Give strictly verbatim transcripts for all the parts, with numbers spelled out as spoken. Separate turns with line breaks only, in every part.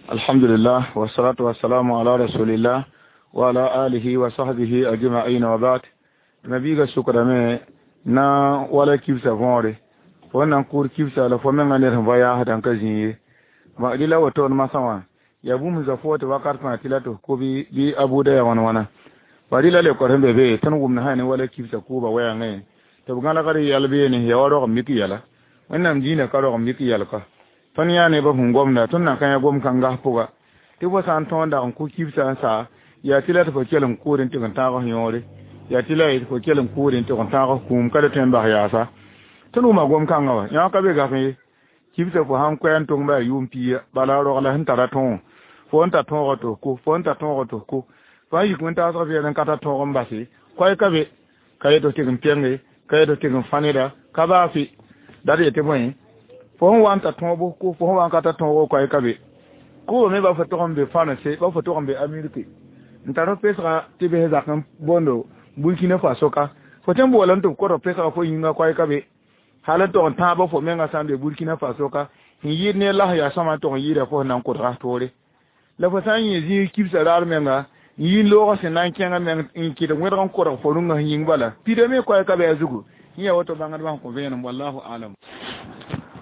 Alhamdulillah wassalatu wassalamu ala rasulillah wa ala alihi wa sahbihi ajma'in wa ba'd. Nabiga sukra na wala kibsa võore fo nan kʋʋr kibsa la fo menga ned sẽn va yaasdã n ka zĩ ye dɩ la woto d masã wã yaa bũmb zã fo tɩ wakat fãa tɩ la tɩ ko bɩ a buuda ya wãn wãna ba rɩ la lekor sẽn be be tõnd wʋmd sã ne wala kibsa kʋʋba wɛɛngẽ tɩ b gãlgd yɛl beene yaa wa rog mik yɛla wẽnnaam dĩinã ka rog mik yɛl ka tõnd yã ne ba sẽn gomda tõnd nan ka yã gom kãngas pʋga tɩ fo sã n tõog dag n kʋ kibsã n sa yaa tɩ la tɩ fo kell n kʋʋd n tɩg n tãag yõore yaa tɩ la fo kell n kʋʋd n tɩg n tãag kũum ka le tõe n bas yaasa tõnd wʋma gom kãngã wa yã ka be gaf ye kibsã fo sãn koɛɛ n tong ba yʋʋm pia bala rogla sẽn tara tõog fo n ta tõog tɩ ko fo n ta tõog tɩ ko fo n yik wẽn-taasg vɛɛl n ka ta tõog n base koɛɛ ka be ka yet tɩg n pɛnge ka yet tɩg n fãneda ka baase dat yetɩ bõe fo sẽn wa n ta tõog ko fo sẽn wa n ka ta tõogo koɛɛ ka be kʋʋba me ba fo tog n be fãnse ba fo tog n be amerike n tar f pesga tɩ bes zak n bondo Burkina Faso ka fo tõe n boola n tɩ b kod pesga fo yĩnga koɛɛ ka be hal n tog n tãabã fo menga sã n be Burkina Faso ka n yɩɩd ne las yaa sõma n tog n yɩɩda fo sẽn na n kodga toore la fo sã n yẽ zĩig kibsã raar menga n yi loogã sẽn na n kẽngã meng n kɩt wẽdg n kodg fo rũngã sẽn yĩng bala pida me koɛɛ ka be a zugu yẽ yaa woto bãngdbã sẽn kõ vẽenem wallahu alam.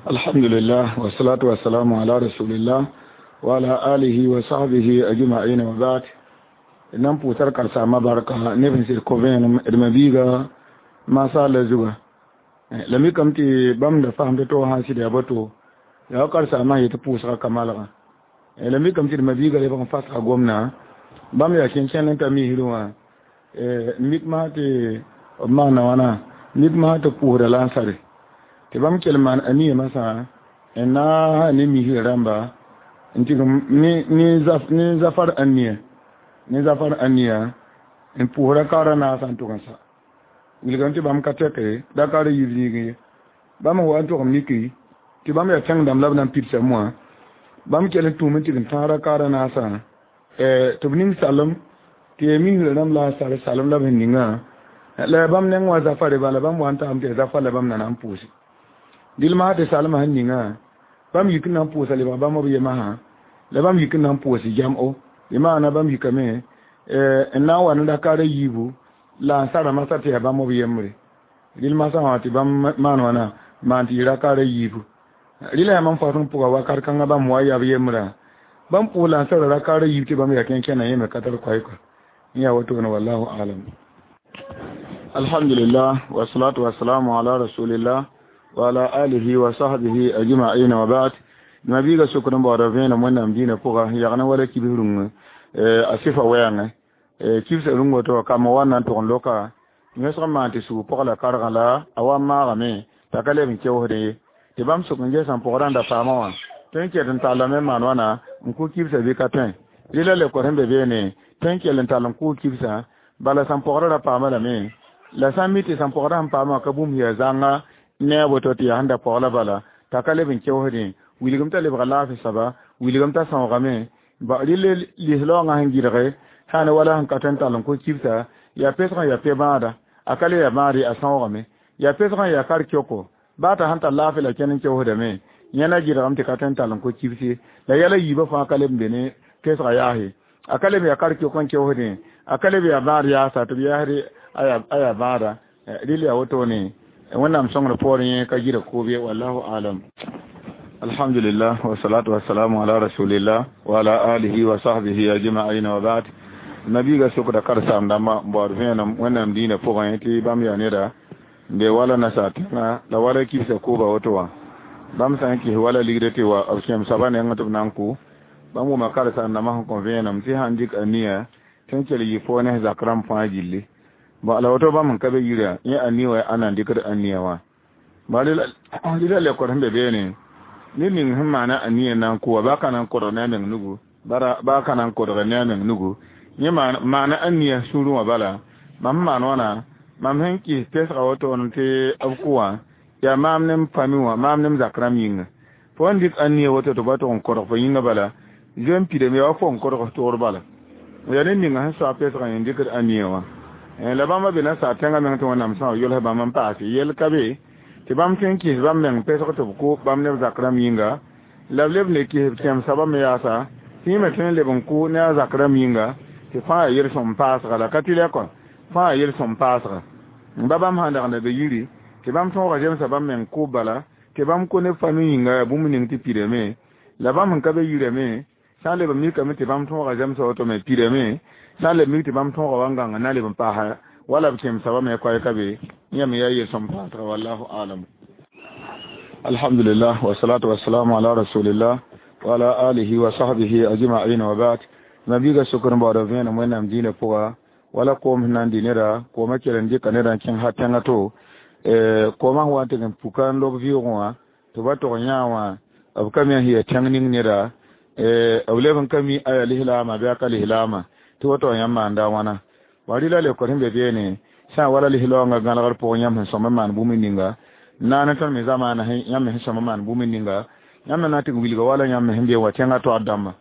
Alhamdulillah wassalatu wassalamu ala rasulillah wa ala alihi wa sahbihi ajma'in wa ba'd. Nan pʋʋsar karsaamã barka neb sẽn sɩd kõ vẽenem d mabiiga masaala zuga la mikame tɩ bãmb da fasem tɩ to sã n sɩd yaa boto yaa wa karsaamã yetɩ pʋʋsga ka malgã la mikame tɩ d mabiiga lebg n fasga gomdã bãmb yaa kẽn-kẽnd n ta misrẽ wã mik masã tɩ b maana wãna mik masã tɩ pʋʋsda la n sare tɩ bãmb kell maan ania masã n na ne misrã rãmba n tɩg ne zafar ania ne zafar ania n pʋʋsra kaoora naasã n tʋg n sa wilgame tɩ bãmb ka tɛke da ka ra yib zĩigẽ ye bãmb sẽn wa n tʋg n miki tɩ bãmb yaa tẽng dãmb la b na n pidsa moã bãmb kell n tũum n tɩg n tãagra kaoora naasã tɩ b ning salem tɩ yaa misrã rãmb la a sar salem la b sẽn ningã la yaa bãmb neng wã zafare bala bãmb wa n taam tɩ yaa zafar la bãmb na na n pʋʋse dɩl masã tɩ salmã sẽn ningã bãmb yik n na n pʋʋsa lebg bãmb b yemasã la bãmb yik n na n pʋʋs jam-o bɩ maana bãmb yikame n na n wa ne rakaara yiibu la n sara masã tɩ yaa bãmb b yembre rɩl masã wã tɩ bãmb maan wãna maan tɩ yɩ rakaara yiibu rɩla yaa mam fasẽng pʋga wakat kãngã bãmb wa yaa b yembrã bãmb pʋʋs la n sara rakaara yiib tɩ bãmb yaa kẽn-kẽna yẽ me ka tar koɛɛka n yaa wotone wallahu alam. Alhamdulillah wassalatu wassalamu ala rasulillah wa ala alihi wa sahbihi ajma'in wa ba'd. Nabiga sukr n baoodã vẽenem wẽnnaam dĩinã pʋga yagna wala kibs rũngã a sɩfa wɛɛngẽ kibsã rũng woto kambã wa n na n tʋg n loka yõsg n maan tɩ sug pʋg la kargã la a wa n maagame t'a ka leb n keoosdẽ ye tɩ bãmb sʋk n gesã pʋgrã n da paamã wã tõe n ket n tallame n maan wãna n kʋ kibsã bɩ ka tõe rɩ la lekor sẽn be beene tõe n kell n tall n kʋʋ kibsã bala sãn pʋgrã ra paama lame la sã n mi tɩ sãn pʋgrã sẽn paamã ka bũmb yaa zãnga ne a woto tɩ yaa sẽn da pɔg la bala t'a ka leb n keoosdẽ wilgem t'a lebga laafɩ soaba wilgem t'a sãoogame rɩ lislaoongã sẽn gɩdge sã ne wala sẽn ka tõe n tall n kʋ kibsã yaa pesgã yaa pe-bãada a ka le yaa bãad a sãoogame yaa pesgã yaa kar-kɛoko baa t'a sẽn tar laafɩ la kẽn n keoosdame yẽ na gɩdgame tɩ ka tõe n tall n kʋ kibse la yɛla yiibã fãa ka leb n be ne pesgã yaase a ka leb yaa kar-kɛok n keoosdẽ a ka leb yaa bãad yaasa tɩ b yaasd a yaa bãada rɩl yaa wotone wẽnnaam sõngr poorẽ yẽ ka gɩdg koob ye wallahu alam. Alhamdulillah wassalatu wassalamu ala rasulillah wa ala alihi wa sahbihi ajma'in wa ba'd. Nabiga sukda karsaam dãmba n baood vẽenem wẽnnaam dĩinã pʋgẽ tɩ bãmb yaa neda n be wala nasaar tẽŋa la wala kibsã kʋʋba woto wã bãmb sã n kɩs wala ligdã tɩ wa b kẽem soabã nengẽ tɩ b na n kʋ bãmb wʋma karsaam dãmbã sẽn kõ vẽenem tɩ sãn dɩk a nia tɩ n kell yɩ foo ne zak rãmb fãa gilli la woto bãmb sẽn ka be yirã yẽ a nia wa a na n dɩkd a nia wã rɩla lekor sẽn be beene ned ning sẽn maana a nia na n kʋ wa baa ka na n kodg ne a meng nugu baa ka na n kodg ne a meng nugu yẽ maana a nia sũurẽ wã bala mam sẽn maan wãna mam sẽn kɩs pesga wotone tɩ b kʋ wã yaa maam ne m pami wã maam ne m zak rãmb yĩnga fo n dɩk a nia woto tɩ ba tʋg n kodg fo yĩnga bala zoe n pidame yaa wa fo n kodg toor bala yaa ned ninga sẽn soa pesgã yẽ dɩkd a nia wã la bãmba be nasaar tẽngã meng tɩ wẽnnaam sã yols bãmb n paase yel ka be tɩ bãmb tõe n kɩs bãmb meng pesg tɩ b kʋ bãmb ne b zak rãmb yĩnga la b leb ne kɩs b kẽem soabã me yaasa Tɩ yẽ me tõe n leb n kʋ ne a zak rãmb yĩnga tɩ fãa yaa yel-sõm paasga la ka tɩ la kɔ fãa yaa yel-sõm paasga n ba bãmb sãn dag n da be yiri tɩ bãmb tõoga zemsa bãmb meng kʋʋb bala tɩ bãmb kõ ne fami yĩnga yaa bũmb ning tɩ pidame la bãmb sẽn ka be yirame sã n leb n mikame tɩ bãmb tõoga zemsa woto me pidame sã n leb mik tɩ bãmb tõoga wa n gãnga na leb n paasa wala b kẽemsa wa me koɛɛka be yã me yaa yel-sõm paasga wallahu alam. Alhamdulillah wasalatu wasalamu ala rasulillah wa ala alihi wa sahbihi ajma'in wa ba'd. Mabiiga sokr n baooda vẽenem wẽnnaam dĩinã pʋga wala koom sẽn na n dɩ neda koomã kell n dɩka neda n kẽng ha tẽngã to koomã sẽn wa n tɩg n puka n lob vɩʋʋgẽ wã tɩ ba tog yã wã b ka mi sẽn yaa tẽng ning neda b leb n ka mi a yaa lislaamã bɩ a ka lislaamã tɩ woto yãmb maanda wãna wa rɩla lekor sẽn be beene sã n wala lislaoongã gãlgr pʋgẽ yãmb sẽn sõm n maan bũmb ninga naane tõnd me zamaana yãmb me sẽn sõm n maan bũmb ninga yãmb me na n tɩg wilga wala yãmb me sẽn be wã tẽngã toag dãmba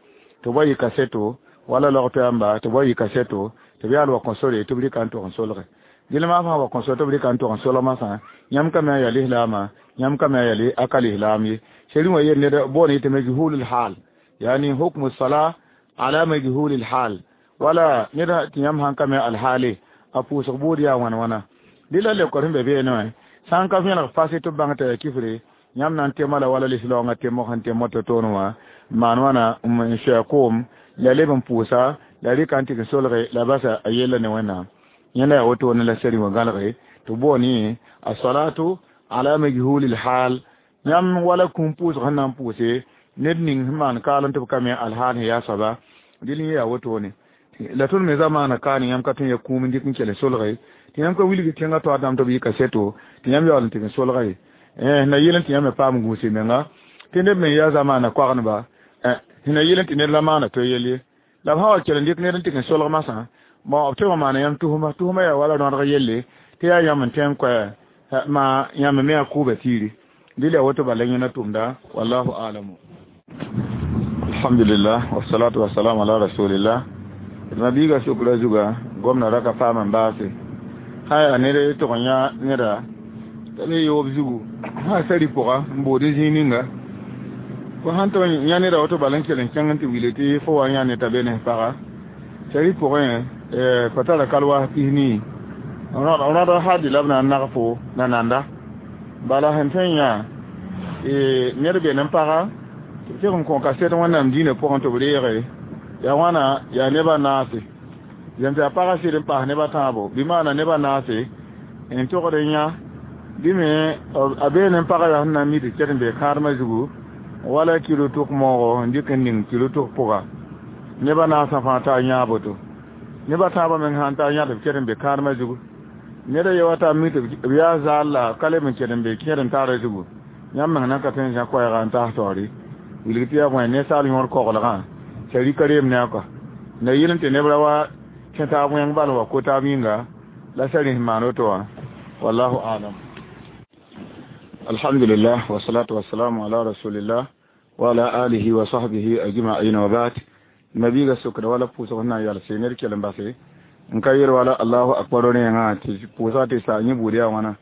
tɩ b wa yɩ kaseto wala log yãmba tɩ b wa yɩ kaseto tɩ b yaal wa kõ sore tɩ b rɩka n tog n solge dɩl maa fãa wa kõ sore tɩ b rɩka n tog n solg masã yãmb ka me a yaa lislaamã yãmb ka me a yaa a ka lislaam ye seri wã yel ned boond yetɩ majhulul hal yani hukmu sala ala majhulil hal wala ned tɩ yãmb sãn ka me alhaale a pʋʋsg buud yaa wãn wãna dɩla lekor sẽn be beene wã sã n ka vẽneg fase tɩ b bãng t'a yaa kifre yãmb na n tema la wala lislaoongã temg sẽn tem woto toon wã n maan wãna n soa koom la leb n pʋʋsa la rɩka n tɩg n solge la basa a yella ne wẽnnaam yẽnda yaa wotone la seri wã gãlge tɩ boond yẽ a salatu ala majhulil hal yãmb wala kũum pʋʋsg sẽn na n pʋʋse ned ning sẽn maan kaal n tɩ b ka me alhaal sẽn yaa soaba dɩl yẽ yaa wotone la tõnd me zamaana kaane yãmb ka tõe n ya kũum n dɩk n kell n solge tɩ yãmb ka wilg tẽngã toa dãmb tɩ b yɩ kaseto tɩ yãmb yaool n tɩg n solga ye na yel n tɩ yãmb me paam gũuse menga tɩ neb me yaa zamaana koagendba na yel n tɩ ned la maana to yel ye la b sã wa kell n dɩk ned n tɩg n solg masã bon b tɩ maana yãmb tusma tusma yaa wala rõadg yelle tɩ yaa yãmb n tẽ n koɛ ma yãmb me a kʋʋba tiiri dɩl yaa woto bala yẽna tʋmda wallahu alamu. Alhamdulillah wasalatu wasalam ala rasulillah. Mabiiga sukra zuga gomna raka paam n baase sã yaa ned tʋg n yã neda t'a me yoob zugu sã sari pʋga n bood zĩig ninga fo sãn tɩ yã neda woto bala n kell n kẽng n tɩ wile tɩ fo wa yã ne t'a be ne paga sari pʋgẽ fa tara kalwaas pis-nii rõadg hadi la b na n nag fo na nanda bala sẽn tõe n yã ned be ne paga tɩ b tɩg n kõ kaset wẽnnaam dĩinã pʋgẽ tɩ b reege yaa wãna yaa nebã naase zem tɩ a pagã sɩd n paas nebã tãabo bɩ maana nebã naase n togd n yã bɩ me a beene n pagã yaa sẽn na n mi tɩ ket n bee kãadmã zugu wala kilo tʋk moogo n dɩk n ning kilo tʋk pʋga nebã naasã fãa taa yãa boto nebã tãabã meng sãn taa yã tɩ b ket n be kãadmã zugu ned a ye wa taa mi tɩ b yaa zaal la ka leb n ket n be kẽed n taara zugu yãmb meng na ka tõe n zã koɛɛga n taas taoore wilg tɩ yaa bõe ninsaal yõor koglgã sari ka reem ne a kɔa na yel n tɩ neb ra wa kẽ taab wẽng bal wa ko taab yĩnga la sari sẽn maan woto wã wallahu alam. Alhamdulillah wasalatu wasalamu ala rasulillah wa ala alihi wa sahbihi ajma'in wa ba'd. Mabiiga sokda wala pʋʋsg sẽn na n yalse ned kell n base n ka yel wala allahu akbar rẽengã tɩ pʋʋsga tɩ sa yẽ buud yaa wãna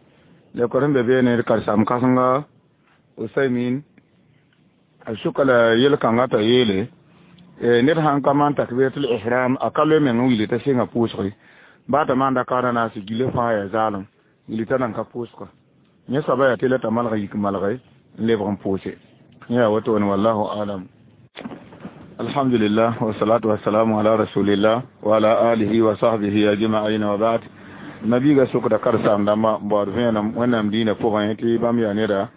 lekor sẽn be beene d karsam kãsenga Usaymin a sʋka la yel-kãngã t'a yeele ned sãn ka maan takbiratul ihram a ka loe meng n wilg t'a sɩnga pʋʋsge baa t'a maanda kaana naase gilã fãa yaa zaalem wilg t'a nan ka pʋʋsga yẽ soaba yaa tɩ la t'a malg yik malge n lebg n pʋʋse yẽ yaa wotone wallahu alam. Alhamdulillah wasalatu wasalamu ala rasulillah wa ala alihi wa sahbihi ajma'in wa ba'd. Mabiiga sokda karsaam dãmba n baood vẽenem wẽnnaam dĩinã pʋgẽ tɩ bãmb yaa neda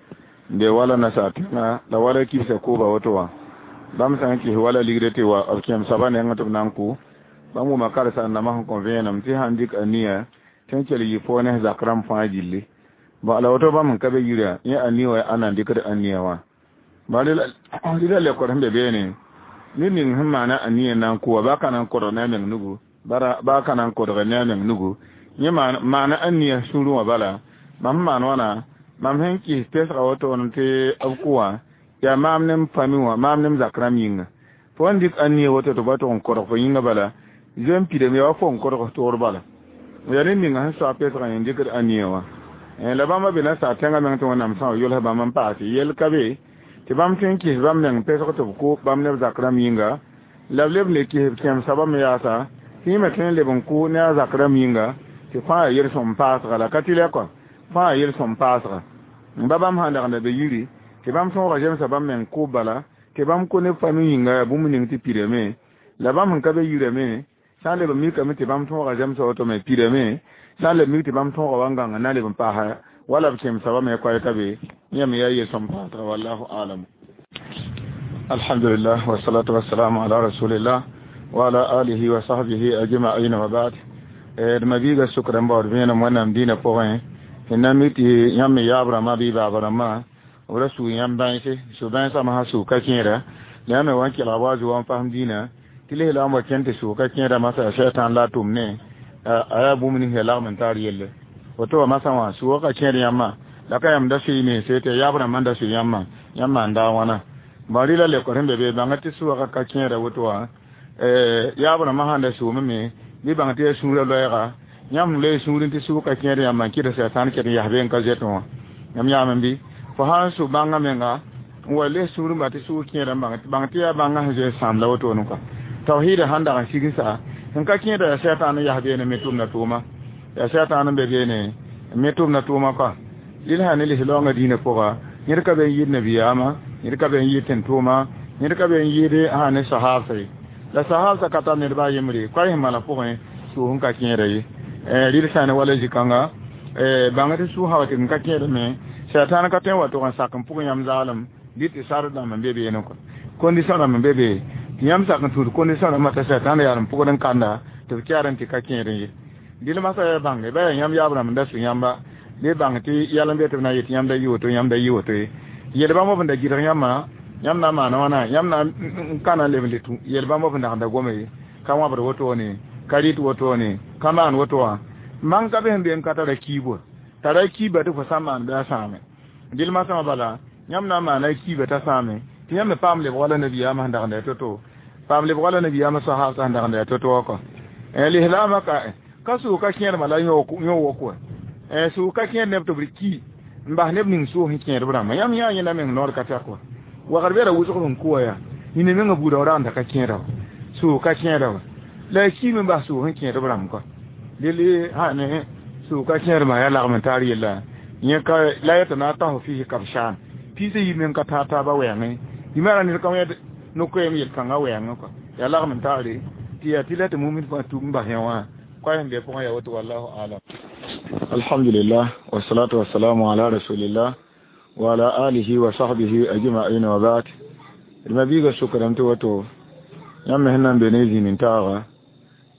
n be wala nasaar tẽŋa la wala kibsa kooba woto wã bãmb sã n kɩs wala ligd tɩ wa b kẽem soaba nengẽ tɩ b na n kʋ bãmb wʋma karsaam dãmbã sẽn kõ vẽenem tɩ sãn dɩk a nia tɩ n kell yɩ fo ne zak rãmb fãa gilli bon la woto bãmb n ka be yirã yẽ a nia wa a na n dɩkd a nia wã rɩla lekor sẽn be beene ned ning sẽn maana a nia na n kʋ wã baa ka na n kodg ne a meng nugu baa ka na n kodg ne a meng nugu yẽ maana a nia sũurẽ wã bala mam sẽn maan wãna mam sẽn kɩs pesga wotone tɩ b kʋ wã yaa maam ne m pami wã maam ne m zak rãmb yĩnga fo n dɩk a nia woto tɩ ba tʋg n kodg fo yĩnga bala zoe n pidame yaa wa fo n kodg toor bala yaa ned ninga sẽn soa pesgã yẽ dɩkd a nia wã la bãmba be nasaar tẽngã meng tɩ wẽnnaam sã wa yʋls bãmb n paase yel ka be tɩ bãmb tõe n kɩs bãmb meng pesg tɩ b kʋ bãmb ne b zak rãmb yĩnga La b leb n le kɩs b kẽemsã bãmb yaasa tɩ yẽ me tõe n leb n kʋ ne a zak rãmb yĩnga tɩ fãa yaa yel-sõm paasga la ka tɩ lɛ kɔ fãa yaa yel-sõm paasga n ba bãmb sã dagenda be yiri tɩ bãmb tõoga zemsa bãmb meng kʋʋb bala tɩ bãmb kõ ne fami yĩnga yaa bũmb ning tɩ pirame la bãmb sẽn ka be yirame sã n leb n mikame tɩ bãmb tõoga zemsa woto me pirame sã n leb mik tɩ bãmb tõoga wa n gãnga na leb n paasa wala b kẽemsa bãmb me koɛɛ ka be yẽ me yaa yel-sõm paasga wallahu alam. Alhamdulillah wassalatu wassalamu ala rasulillah wa ala alihi wa sahbihi ajma'in wa ba'd. D mabiiga sʋkd n baood vẽenem wẽnnaam dĩinã pʋgẽ tɩ na mi tɩ yãmb me yaab rãmbã bɩ baab rãmbã b ra sug yãmb bãense su-bãensã masã sug ka kẽera la yãmb me wa n kelg wa a zugu n fasem dĩinã tɩ lislaam wa kẽnd tɩ sug ka kẽera masã yaa sɛtãan la a tʋm ne a yaa bũmb nins yaa lagm n tar yelle woto wa masã wã sugã ka kẽer yãmbã la ka yãmb da sʋɩ mense tɩ yaab rãmbã n da sʋ yãmbã yãmb maan daa wãna bõn rɩla lekor sẽn be be bãnga tɩ sʋʋga ka kẽera woto wã yaab rãmbã sãn da sʋʋme me bɩ bãng tɩ yaa sũurã loɛɛga yãmb loe sũurẽ tɩ sʋʋg ka kẽer yãmbã n kɩt sɛtãan ket n yas be n ka zoetẽ wã yãmb yãame bɩ fo sã n sʋ bãngã menga n wa les sũurẽ ba tɩ sʋʋg kẽera bãng tɩ yaa bãngã sẽn zoe sãam la wotone kɔa tawhiida sãn dag n sigsa sẽn ka kẽeda yaa sɛtãan n yas beene me tʋmda tʋʋma yaa sɛtãan n be beene n me tʋmda tʋʋma kɔa rɩl sã ne lislaoongã dĩinã pʋga ned ka be n yɩɩd nabiyaamã ned ka be n yɩɩd tẽn-tʋʋma ned ka be n yɩɩd sã ne sahaabsa ye la sahaabsã ka tar ned baa yembre koɛɛ sẽn maana pʋgẽ sʋʋg n ka kẽera ye rɩl sã ne wala zĩ-kãnga bãng tɩ sʋʋg sã wa tɩ n ka kẽer me sɛtãan ka tõe n wa tʋg n sak n pʋg yãmb zaalem bɩ tɩ sar rãmb n be beene kɔ condition rãmb n be be tɩ yãmb sak n tũud condition rãmbã t'a sɛtãan yaa n pʋgd n kanda tɩ b kɛɛr n tɩ ka kẽer ye dɩl masã yaa bãnge ba yaa yãmb yaab rãmb n da sʋ yãmba bɩ bãng tɩ yɛl n be tɩ b na n yet yãmb da yɩ woto yãmb da yɩ woto ye yel bãmb b n da gɩdg yãmbã yãmb na n maana wãna yãmb na n kana n leb n le tũ yel bãmb b n dag n da gome ye ka wãbd wotone ka rɩt wotone ka maan woto wã mang ka be sẽn be n ka tara kiibo tara kiiba tɩ fo sã n maan bɩ a sãame dɩl masã bala yãmb na n maana kiiba t'a sãame tɩ yãmb me paam lebg wala nabiyaamã sẽn dagenda ya to-to paam lebg wala nabiyaamã sahaabsã sẽn dagenda ya to-to wã kɔ lislaamã ka ka sʋʋg ka kẽermã la yõ wok wa sʋʋg ka kẽer neb tɩ b ki n bas neb ning sʋʋg sẽn kẽer b rãmbã yãmb yã yẽnda meng noor ka tɛk wa wagr bera wʋsg sẽn kʋ wa yaa yĩna mengã buudã w ragenda ka kẽera wa sʋʋg ka kẽera wa la a kiime n bas sʋʋg sẽn kẽer b rãmb kɔ dɩl sã ne sʋʋg ka kẽermã yaa lagm n taar yella yẽ ka la yetɩ na a tasf fiis kabsaan piisã yib meng ka taar taabã wɛɛngẽ yimara ned ka wẽed no-koɛɛm yel-kãngã wɛɛngẽ kɔ yaa lagm n taare tɩ yaa tɩ la tɩ mumin fãa tug n bas yã wã koa sẽn be pʋgẽ yaa woto wallahu alam. Alhamdulillah wassalatu wassalamu ala rasulillah wa ala alihi wa sahbihi ajma'in wa ba'd. D mabiiga sʋkdame tɩ woto yãmb me sẽn na n be ne zĩnd n taaga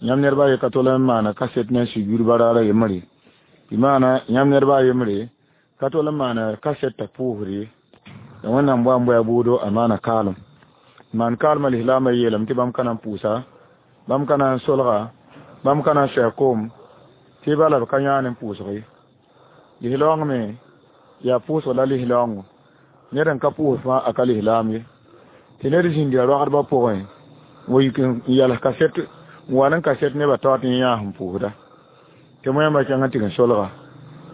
yãmb nedba ye ka tol n maana kaset na n sugr baraara yembre tɩ maana yãmb nedba yembre ka tol n maana kaset t'a pʋʋsd ye la wẽnnaam boa n bʋa bʋʋdo a maana kaalem maan kaalmã lislaamã yeelame tɩ bãmb ka na n pʋʋsa bãmb ka na n solga bãmb ka na n soa koom tɩ bala b ka yãan n pʋʋsg ye lislaoong me yaa pʋʋsg la lislaoongo ned n ka pʋʋs fãa a ka lislaam ye tɩ ned zĩnd yaa roagdbã pʋgẽ wa yik n yals kaset n wa n kaset nebã tao tɩ yã sẽn pʋʋsda tɩ moẽmbã kẽng n tɩg n solga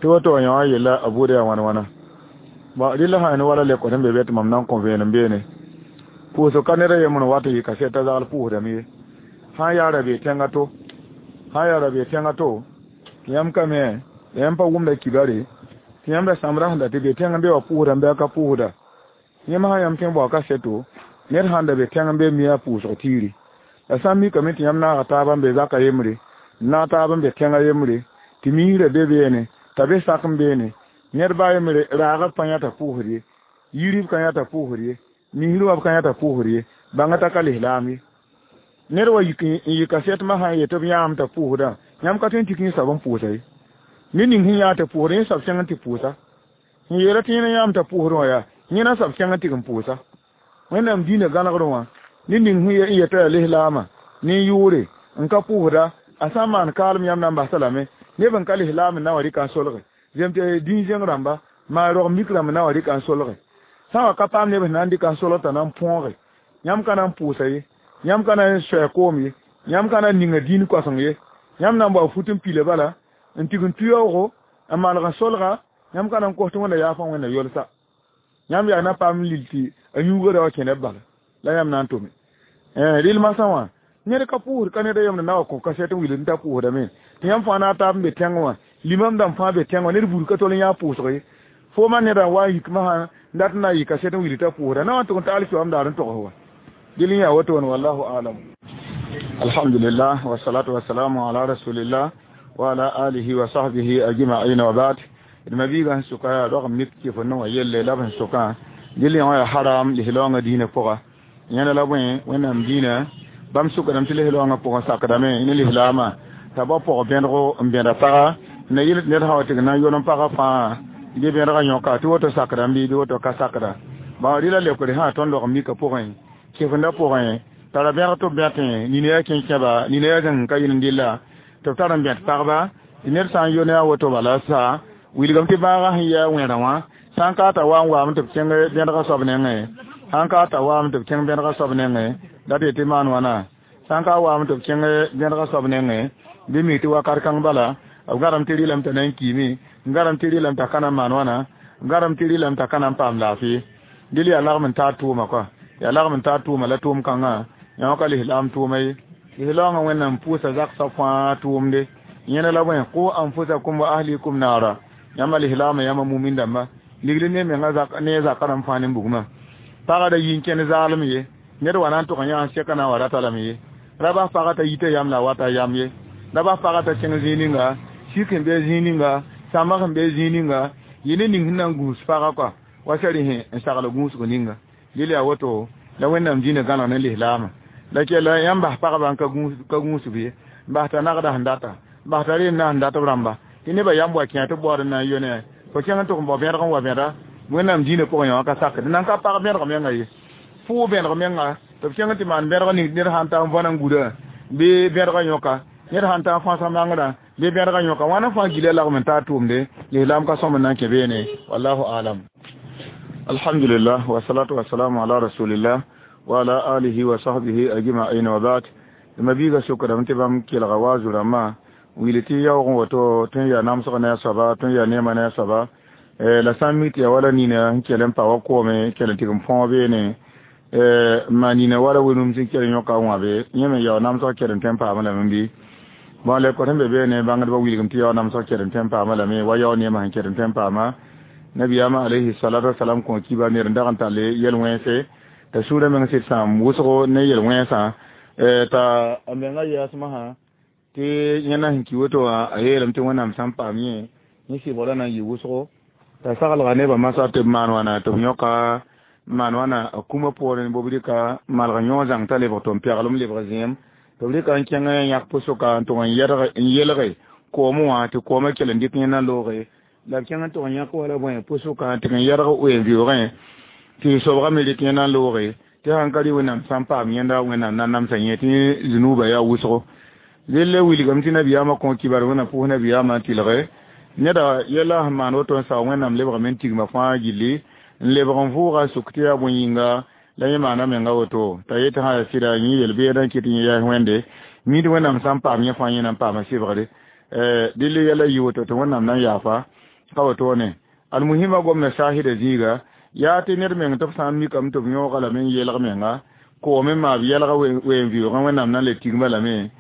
tɩ woto wã yã wã yella a buudã yaa wãn wãna bɔn rɩla sã ne wala lekor sẽn be be tɩ mam na n kõ vẽenem beene pʋʋsg ka ned a yembr n wat n yɩ kaset t'a zagl pʋʋsdame ye sã n yaa ra bee tẽngã to sã n yaa ra bee tẽngã to tɩ yãmb ka me la yãmb pa wʋmda kibare tɩ yãmb ra sãmbra sẽn da tɩ be tẽng n be wa pʋʋsda n bɩ a ka pʋʋsda yãmb sã yãmb tõe n bao kaseto ned sãn da be tẽng n be mi a pʋʋsg tiiri la sã n mikame tɩ yãmb naaga taaba n be zaka yembre n naag taab n be tẽngã yembre tɩ miisrã be beene t'a be sak n beene ned baa yembre raagb pa yãta pʋʋsd ye yirib ka yãta pʋʋsd ye misr wã b ka yãta pʋʋsd ye bãnga t'a ka lislaam ye ned wa yik n yɩ kasetmã sã n yet b yãam t'a pʋʋsdã yãmb ka tõe n tik yẽ soab n pʋʋsa ye ned ning sẽn yaa tɩ pʋʋsd yẽ soab kẽng n tɩ pʋʋsa sẽn yeela tɩ yẽna yãam t'a pʋʋsd wã yaa yẽna soab kẽng n tɩg n pʋʋsa wẽnnaam dĩinã gãnegr wã ned ning sẽn yeta yaa lislaamã ne yʋʋre n ka pʋʋsda a sã n maan kaalem yãmb na n basa lame neb n ka lislaam n na wa rɩka n solge zem tɩ dĩn-zẽng rãmba maa rog mik rãmb na wa rɩka n solge sã wa ka paam neb sẽn na n dɩka n solg t'a na n põoge yãmb ka na n pʋʋsa ye yãmb ka na n soa koom ye yãmb ka na n ninga dĩin koaseng ye yãmb na n bao fut n pila bala n tig n tuyaoogo n maneg n solga yãmb ka na n kos tɩ wẽnda yaafã wẽnda yolsa yãmb yaa na paam lil tɩ a yũuga ra wa kẽ neb bala la yãmb na n tome Rɩl masã wã ned ka pʋʋsd ka ned a yemd na wa kõ kasɛt n wilg t'a pʋʋsdame tɩ yãmb fãa na a taab n be tẽngẽ wã limam dãmb fãa be tẽng wã ned buud ka tol n yã pʋʋsg ye fo ma neda n wa n yik masã n dat n na n yɩ kasɛt n wilg t'a pʋʋsda na wa n tʋg n ta alkiyoam daar n togs wa dɩl n yaa wotone wallahu alam. Alhamdulillah wasalatu wasalamu ala rasulillah wa ala alihi wa sahbihi ajma'in wa ba'd. D ma biigã sẽn sʋka yaa rog n mik tɩ fo no wã yelle la b sẽn sʋkã dɩl yã wã yaa haram lislaoongã diinã pʋga yẽnda la bõe wẽnnaam diinã bãmb sʋkdame tɩ lislaoongã pʋgẽ sakdame ne lislaamã t'a bao pʋg bẽdgo n bẽda paga na yɩl tɩ ned sã wa tɩ na n yol n pagã fãa bɩ bẽdgã yõka tɩ woto sakdame bɩ bɩ woto ka sakda bã rɩla leokd sã tõnd log n mika pʋgẽ kefendã pʋgẽ tara bẽg tɩ b bẽtẽ nina yaa kẽnkẽba nina yaa zĩng ka yɩl n dɩlla tɩ b tar n bẽt pagba tɩ ned sã n yo ne a woto bala sa wilgame tɩ bãagã sẽn yɩ a wẽrã wã sã n ka t'a wa n waame tɩ b kẽng bẽdgã soab nengẽ sãn ka t'a waame tɩ b kẽng bẽdgã soab nengẽ la tɩ tɩ maan wãna sãn ka waame tɩ b kẽng bẽdgã soab nengẽ bɩ mi tɩ wakat kãng bala b gãdem tɩ rɩlame t'a na n kiime n gãdem tɩ rɩlame t'a ka na n maan wãna n gãdem tɩ rɩlame t'a ka na n paam laafɩ dɩl yaa lagm n taa tʋʋma kɔa yaa lagm n taa tʋʋma la tʋʋm kãngã yã wã ka lislaam tʋʋma ye lislaoongã wẽnnaam pʋʋsa zagsã fãa tʋʋmde yẽna la bõe qu anfusakum wa ahlikum naara yãmba lislaamã yãmba mumin dãmba ligl ne menga ne zaka rãmb fãa ne bugmã pagã da yi n kẽnd zaalem ye ned wa na n tʋg n yã n sɛka na n wa rata lame ye ra bas pagã t'a yita yam la a wata yam ye ra bas pagã t'a kẽng zĩig ninga sik sẽn be zĩig ninga sãmbã sẽn be zĩig ninga yɩ ne ning sẽn na n gũus pagã kɔa wa sɛ rẽ n sagl gũusg ninga dɩl yaa woto la wẽnnaam dĩinã gãneg ne lislaamã la kella yãmb bas pagba n ka gũusb ye n bas t'a nagda sẽn data n bas t'a reem na sẽn dat b rãmba tɩ nebã yãmb wa kẽ tɩ b baood n na n yo ne fo kẽng n tʋg n bao bẽdg n wa bẽda wẽnnaam dĩinã pʋgẽ yã wã ka sakd nan ka pag bẽdg menga ye pʋʋg bẽdg menga tɩ b kẽng tɩ maan bẽdg ning ned sãn ta n võna n gurã bɩ bẽdgã yõka ned sãn ta n fãasa mangrã bɩ bẽdgã yõka wãna fãa gila lagm n taa tʋʋmde lislaam ka sõm n na n kẽ beene wallahu alam. Alhamdulillah wasalatu wasalamu ala rasulillah wa ala alihi wa sahbihi ajma'in wa ba'd. Ma biiga sʋkdame tɩ bãmb kelga wa zu-rãmbã wilg tɩ yaoog n woto tõe n yaa namsg ne a soaba tõe n yaa neemã ne a soaba la sã n mi tɩ yaa wala nina sẽn kell n pa wa koome kell n tɩg n põog beene n maan nina wala wẽnum sẽn kell n yõka wãbe yẽ me yao namsg kell n tõe n paamã lame bɩ bõn le kõt sẽn be beene bãngdbã wilgem tɩ yao namsg kell n tõe n paamã lame wa yao neemã sẽn kell n tõe n paama nabiyaamã alayhi salatu wasalam kõ kiba ned n dag n tall yel-wẽnse t'a sũurã meng sɩd sãam wʋsgo ne yel-wẽnsã t'a a menga yaasmã sã tɩ yẽna sẽn ki woto wã a yeelame tɩ wẽnnaam sã n paam yẽ yẽ sɩbgrã na n yɩ wʋsgo t'a saglga nebã masã tɩ b maan wãna tɩ b yõka maan wãna a kũmã poorẽ b rɩka malg yõ zãng t'a lebg tɩ n pɛglem lebg zẽem tɩ b rɩka n kẽng yãk pʋsʋka n tʋg n yelge koomẽ wã tɩ koomã kell n dɩk yẽnda looge la b kẽng n tʋg n yãk wala bõe pʋsʋka tɩ n yɛlg wen-vɩoogẽ tɩ sobgã me rɩk yẽnda looge tɩ sãn ka rɩ wẽnnaam sã n paam yẽnda wẽnnaam na namsa yẽ tɩ zunuubã yaa wʋsgo delle wilgame tɩ nabiyaamã kõ kibar wẽnnaam pʋʋs nabiyaamã n tɩlge neda yɛla sẽn maan woto n sao wẽnnaam lebgame n tigma fãa gilli n lebg n vʋʋga sʋk tɩ yaa bõe yĩnga la yẽ maana menga woto t'a yetɩ sã yaa sɩda yẽ yel-beedã n kɩt yẽ yaas wẽnde mid wẽnnaam sã n paam yẽ fãa yẽ na n paama sɩbgre dɩl yɛla yɩ woto tɩ wẽnnaam na n yaafa ka wotone almuhima gomna saahida zĩiga yaa tɩ ned meng tɩ b sã n mikame tɩ b yõoga lame n yelg menga koome n maa b yɛlga wen-vɩoogẽ wẽnnaam na n le tigma lame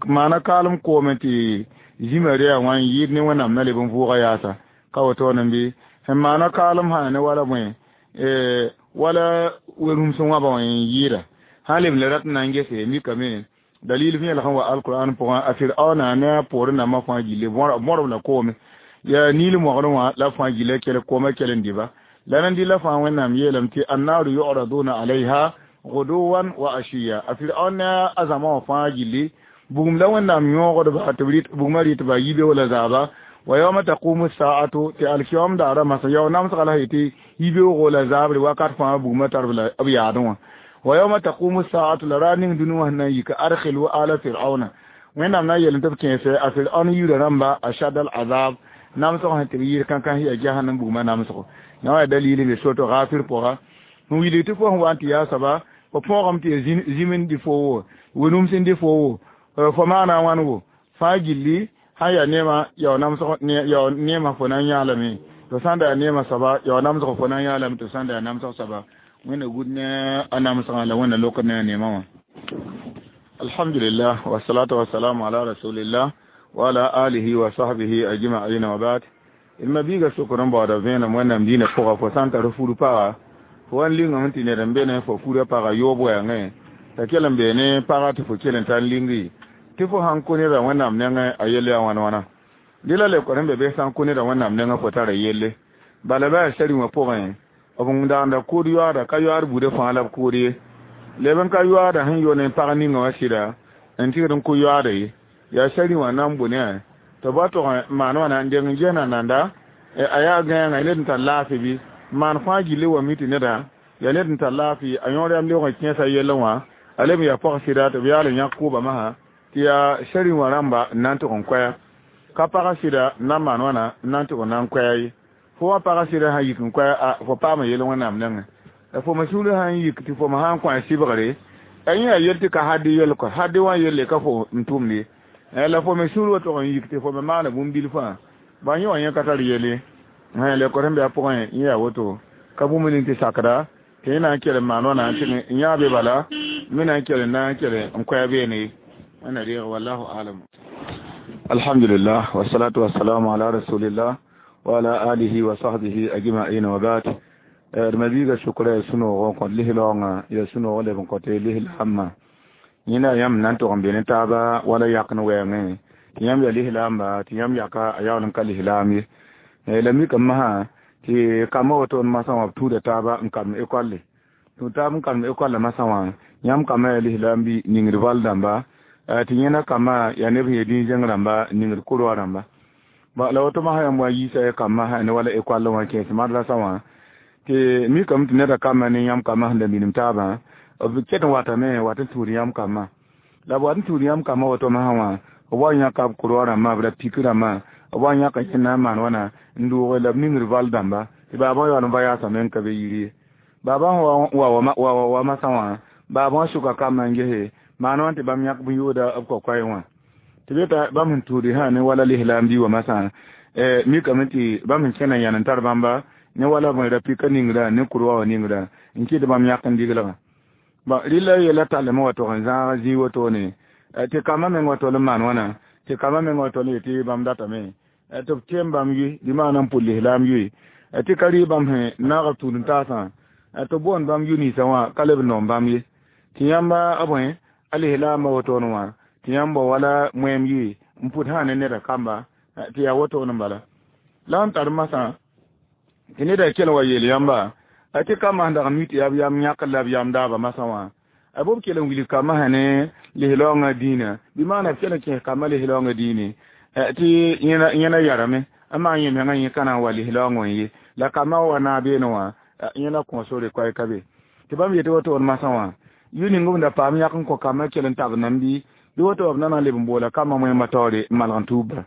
maana kaalem koome tɩ zĩma rea wã n yɩɩd ne wẽnnaam na leb n vʋʋga yaasa ka wotone bɩ sẽn maana kaalem sã ne wala bõe wala wen-rũms wãbã wã n yɩɩda sã leb le rat n na n gese mikame dalil vẽelg sẽn wa alquran pʋgã a firaona ne a poorẽ nambã fãa gilli mõrb la koome yaa niil moglẽ wã la fãa gilla kell koomã kell n dɩba la nan dɩla fãa wẽnnaam yeelame tɩ annaru yuraduna alayha guduwan wa ashiya a firaon ne a zãma wã fãa gilli bugum la wẽnnaam yõogdba tɩ bugmã rɩtba yibe wala zaaba wa yawma taqumu saatu tɩ alkiyom daara masa yao namsga la tɩ yibeoogo la zaabre wakat fãa bugmã tar b yaadẽ wã wa yawma taqumu saatu la raar ning dũni wã sẽn na n yika adkhilu ala firauna wẽnnaam na n yeel tɩ b kẽese a firaon yirã rãmba ashad al azab namsg sẽn tɩ b yɩɩr kãnkã yaa jahannam bugmã namsgo yã wã yaa dalil n be soto Ghafir pʋga n wilg tɩ fo sẽn wa n tɩ yaa soaba fo põogame tɩ ya zĩm n dɩ fo wo wẽnum sẽn dɩ fo wo fo maana a wãn wo fãa gilli sã yaa neemã yao namsg yao neemã fo na n yãa lame tɩ sã n da yaa neemã soaba yao namsg fo na n yãa lame tɩ sã n da yaa namsg soaba Wẽnna gud ne a namsgã la Wẽnna lokd ne a neemã wã. Alhamdulillah, wassalatu wassalamu ala rasulillah wa ala alihi wa sahbihi ajma'in wa ba'd. D ma biiga sokr n baooda vẽenem Wẽnnaam dĩinã pʋga fo sã n tar fur paga fo wa n lingame tɩ ned n be ne fo furã paga yoob wɛɛngẽ t'a kell n bee ne paga tɩ fo kell n tar lingri tɩ fo sãn kõ nedã Wẽnnaam nengẽ a yell yaa wãn wãna dɩ la lebkd n be bɩ sã n kõ nedã Wẽnnaam nengẽ fo tara yelle bala bɩ a sari wã pʋgẽ b n daanda kood yoaada ka yoaad buudã fãa la b kood ye leb n ka yoaada sẽn yo ne pag ninga wã sɩda n tɩgd n kõ yoaada ye yaa sari wã na n bʋ ne tɩ ba tog n maan wãna n deng n gesna nanda a yaa gãenga ned n tar laafɩ bɩ maan fãa gilli wa mi tɩ neda yaa ned n tar laafɩ a yõor yam lebg n kẽesa yellẽ wã a leb n yaa pag sɩda tɩ b yaal n yãk kʋʋba masã tɩ yaa sari wã rãmba n na n tʋg n koɛa ka pagã sɩda n na n maan wãna n na n tʋg n na n koɛa ye fo wã pagã sɩda sã n yik n koɛa a fo paama yell Wẽnnaam nengẽ la fo me sũurã sã n yik tɩ fo me sã n kõ a sɩbgre a yẽ yaa yell tɩ ka hadɩ yell kɔ hadɩ wã yelle ka fo n tʋmd ye la fo me sũur wa tʋg n yik tɩ fo me maana bũmb bilfã ba yẽ wã yẽ ka tar yelle lekd sẽn be a pʋgẽ yẽ yaa woto ka bũmb ning tɩ sakda tɩ yẽ na n kell n maan wãna tɩ n yã be bala me na n kell n na n kell n koɛa beene ye Wẽnna deeg wallahu alam. Alhamdulillah, wassalatu wassalamu ala rasulillah wa ala alihi wa sahbihi ajma'in wa ba'd. D ma biiga sʋkra ya sũ-noog n kõt lislaoongã ya sũ-noog leb n kõt lislaambã yẽnda yãmb na n tʋg n be ne taaba wala yak n wɛɛngẽ tɩ yãmb ya lislaamba tɩ yãmb yaka a yaool n ka lislaam ye la mikame masã tɩ kambã woto n masã wã b tuuda taaba n kalem ekolle tũ taab n kalem ekollã masã wã yãmb kambã yaa lislaam bɩ ningd val dãmba tɩ yẽna kambã yaa neb sẽn ya dĩn-zẽng rãmba ningd kʋrwa rãmba la woto masã yãmb wa yiisa ya kambã sã ne wala ekollẽ wã kẽes madrasa wã tɩ mikame tɩ neda kambã ne yãmb kambã sẽn da minim taabã b ket n watame wat n tuud yãmb kambã la b wat n tuud yãmb kambã woto masã wã b wa yãka b kʋrwa rãmbã b ra pik rãmbã b wa yãka yẽnd na n maan wãna n doog la b ningd val dãmba tɩ baabã yaool n va yaasame n ka be yir ye baabã wa wa wa masã wã baabã wã sʋka kambã n gese maan wã tɩ bãmb yãk bũn-yooda b kokoɛɛ wã tɩ be t'a bãmb sẽn tuudi sã ne wala lislaam bi wa masã mikame tɩ bãmb sẽn kẽna yãn n tar bãmba ne wala b ra pika ningrã ne kʋrwa wã ningrã n kɩt bãmb yãk n diglgã ba rɩla yɛla tallame wa tog n zãag zĩig wotone tɩ kambã meng wa tol n maan wãna tɩ kambã meng wa tol n yetɩ bãmb datame tɩ b tem bãmb yoe bɩ maana n pʋd lislaam yoe tɩ ka rɩ bãmb sẽn naag b tũud n taasã tɩ b boond bãmb yu-ninsã wã ka leb n noom bãmb ye tɩ yãmba a bõe a lislaambã wotone wã tɩ yãmb wa wala moɛɛm yoe n pʋd sã ne neda kamba tɩ yaa wotone n bala la n tar masã tɩ neda kell wa yeel yãmba tɩ kambã sẽn dag n mi tɩ yaa b yam yãkr la b yam daaba masã wã a b kell n wilg kambã sã ne lislaoongã dĩinã bɩ maana b kell n kẽes kambã lislaoongã dĩine tɩ yẽna yarame n maan yẽ mengã yẽ ka na n wa lislaoongã n ye la kambã wa naag beene wã yẽna kõ sore koɛɛ ka be tɩ bãmb yetɩ wotone masã wã yʋ ning b da paam yãk n kõ kambã kell n tab nam bɩ bɩ woto b na na n leb n boola kambã moẽmã taoore n malg n tuubba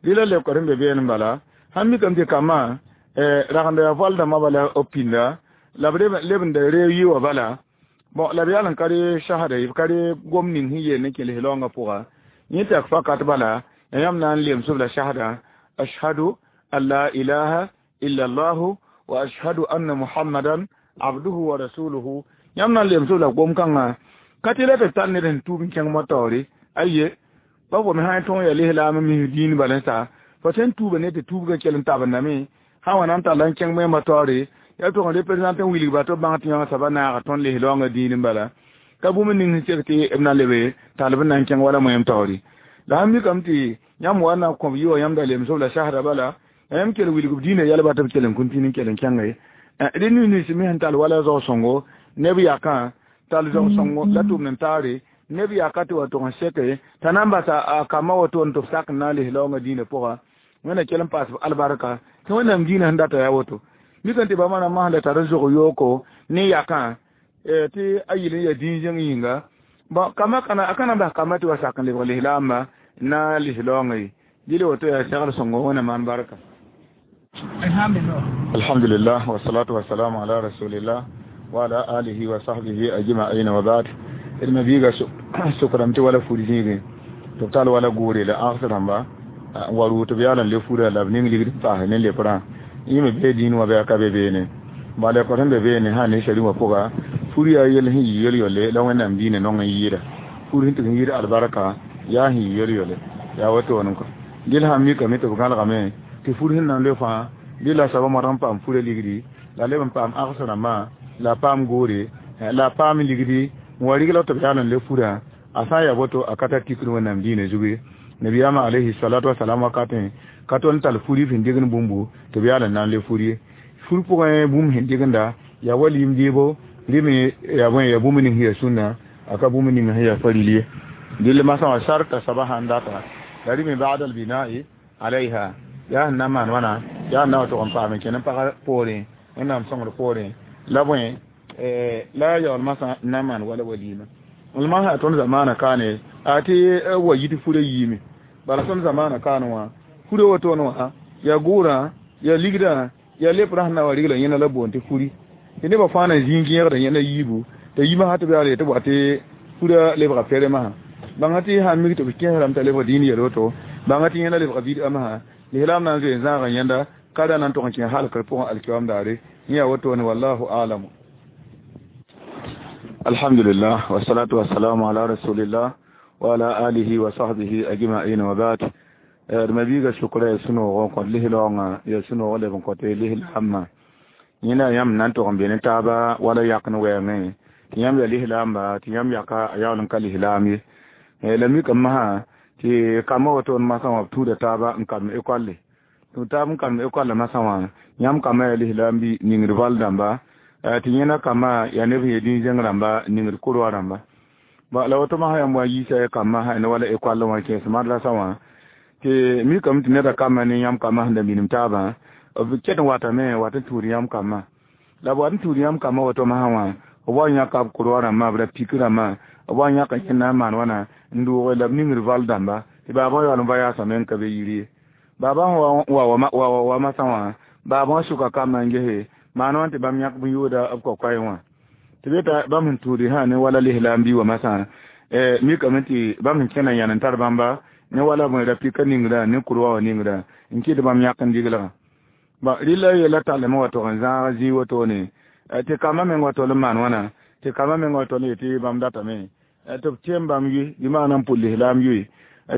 rɩla lebkd n be beene n bala sãn mikame tɩ kambã ragenda yaa val dãmbã bala b pĩnda la b leb n da reeg yɩ wã bala bon la b yaal n ka re sasda ye b ka re gom ning sẽn yeel ne kẽ lislaoongã pʋga yẽ tɩ yak fakat bala ya yãmb na n lemsb la sasda ashhadu an la ilaha illa allahu wa ashhadu anna muhammadan abduhu wa rasuluhu yãmb na n lemsb la gom-kãngã ka tɩ la tɩ tar ned sẽn tuub n kẽng motaoore aye ba fo me sã n tõog yaa lislaam n mis dĩin bala n sa fo sẽn tuuba ne tɩ tuubgã kell n tabendame sã wã na n talla n kẽng moẽmã taoore yaa tʋg n représente n wilgba tɩ b bãng tɩ yãng soaba naaga tõnd lislaoongã dĩin n bala ka bũmb ning sẽn sek tɩ b na lebe tall b na n kẽng wala moẽm taoore la sãn mikame tɩ yãmb wa na n kõb yɩ wã yãmb da lemsb la sasda bala yãmb kell wilg b dĩinã yɛlba tɩ b kell n kũn tĩn n kell n kẽnga ye dẽ nins me sẽn tall wala zao-sõngo neb yakã tall zao-sõngo la tʋmd n taare neb yaka tɩ wa tʋg n seke t'a na n basa a kambã woto n tɩ b sak n na n lislaoongã dĩinã pʋga Wẽnna kell n paas b albarka tɩ Wẽnnaam dĩinã sẽn data yaa woto mikame tɩ bãmba rãmbã sẽn da tar n zog yooko ne yakã tɩ a yɩl n yaa dĩn-zẽng yĩnga bon kambã kana a ka na n bas kambã tɩ wa sak n lebg lislaambã na lislaoongã ye dɩl woto yaa segr sõngo Wẽnna maan barka. Alhamdulillah, wassalatu wassalamu ala rasulillah wa ala alihi wa sahbihi ajma'in wa ba'd. D ma biiga sʋkrame tɩ wala fur zĩigẽ tɩ b tall wala goore la ãgs rãmba n wa rʋʋ tɩ b yaal n le furã la b ning ligd n paas ne leprã yẽ me bee dĩin wã bɩ a ka be beene Ba le ko be be ne ha ne shari wa pʋga fur yaa yel sẽn yɩ yel-yolle la Wẽnnaam diinã nong n yɩɩda fur sẽn tɩg n yɩɩd albarka yaa sẽn yɩ yel-yolle yaa wotoone kɔ dɩl sã n mikame tɩ b gãlgame tɩ fur sẽn na n loe fãa bɩ la soaba modg n paam furã ligdi la leb n paam ags rãmbã la paam goore la paam ligdi n wa rigla tɩ b yaal n le furã a sã n yaa woto a ka tar tikr Wẽnnaam diinã zugu nabiyaamã alayhi salatu wasalam wakatẽ ka tol n tall furi sẽn degn bũmbu tɩ b yaal n na n le fur ye fur pʋgẽ bũmb sẽn degenda yaa wa lim deebo rɩ yaa bõe yaa bũmb ning sẽn yaa sũnna a ka bũmb ning sẽn yaa faril ye dɩl masã wã sarta soaba sãn data la rɩ me ba'd albina'i alayha yaa sẽn na n maan wãna yaa sẽn na wa tʋg n paam n kẽn n pagã poorẽ Wẽnnaam sõngr poorẽ la bõe la yaool masã n na n maan wala walima l masã tõnd zamaana kaane a tɩ wa yit furã yiime bala tõnd zamaana kaan wã furã wotone wã yaa gʋʋrã yaa ligdã yaa leprã sẽn na wa rigla yẽna la boond tɩ furi tɩ nebã fãa na zĩig yẽgda yẽna yiibu t'a yimã sã tɩ b yaal tɩ b wa tɩ furã lebga peremã bãnga tɩ sã n mik tɩ b kẽesrame t'a lebg dĩin yel woto bãnga tɩ yẽna lebga bid'a masã lislaam na n zoe n zãaga yẽnda ka ra na n tʋg n kẽ halkr pʋgẽ alkiyoam daare yẽ yaa wotone wallahu alamu. Alhamdulillah wassalatu wassalamu ala rasulillah wa ala alihi wa sahbihi ajma'in wa ba'd. D mabiiga sʋkra ya sũ-noog n kõt lislaoongã ya sũ-noog leb n kõte lislaambã yẽna yãmb na n tʋg n be ne taaba wala yak n wɛɛngẽ tɩ yãmb ya lislaamba tɩ yãmb yaka a yaool n ka lislaam ye la mikame masã tɩ kambã wotoon masã wã b tũuda taaba n kalem ekolle tũ taab n kalem ekolle masã wã yãmb kambã yaa lislaam bɩ ningd val dãmba tɩ yẽna kambã yaa neb sẽn ya dĩn-zẽng rãmba ningd kʋrwa rãmba la woto masã yãmb wa n yiisa kambã sã ne wala ekolle wã kẽes madrasa wã tɩ mikame tɩ neda kambã ne yãmb kambã sẽn da minim taabã b ket n watame wat n tuud yãmb kambã la b wat n tuud yãmb kambã woto masã wã b wa n yãka b kʋrwa rãmbã b ra pik rãmbã b wa n yãka yẽnd na n maan wãna n doog la b ningd val dãmba tɩ baabã yaool n va yaasame n ka be yir ye baabã wa wa wa masã wã baabã wã sʋka kambã n gese maan wã tɩ bãmb yãk bũn yooda b kokoɛɛ wã tɩ be t'a bãmb sẽn tuudi sã ne wala lislaam bi wa masã mikame tɩ bãmb sẽn kẽna yãn n tar bãmba ne wala bõe ra pika ningrã ne kʋrwa wã ningrã n kɩt bãmb yãk n diglgã ba rɩla yella tallame wa tʋg n zãag zĩig wotone tɩ kambã meng wa tol n maan wãna tɩ kambã meng wa tol n yetɩ bãmb datame tɩ b tem bãmb yʋɩ bɩ maana n pʋl lislaam yʋɩ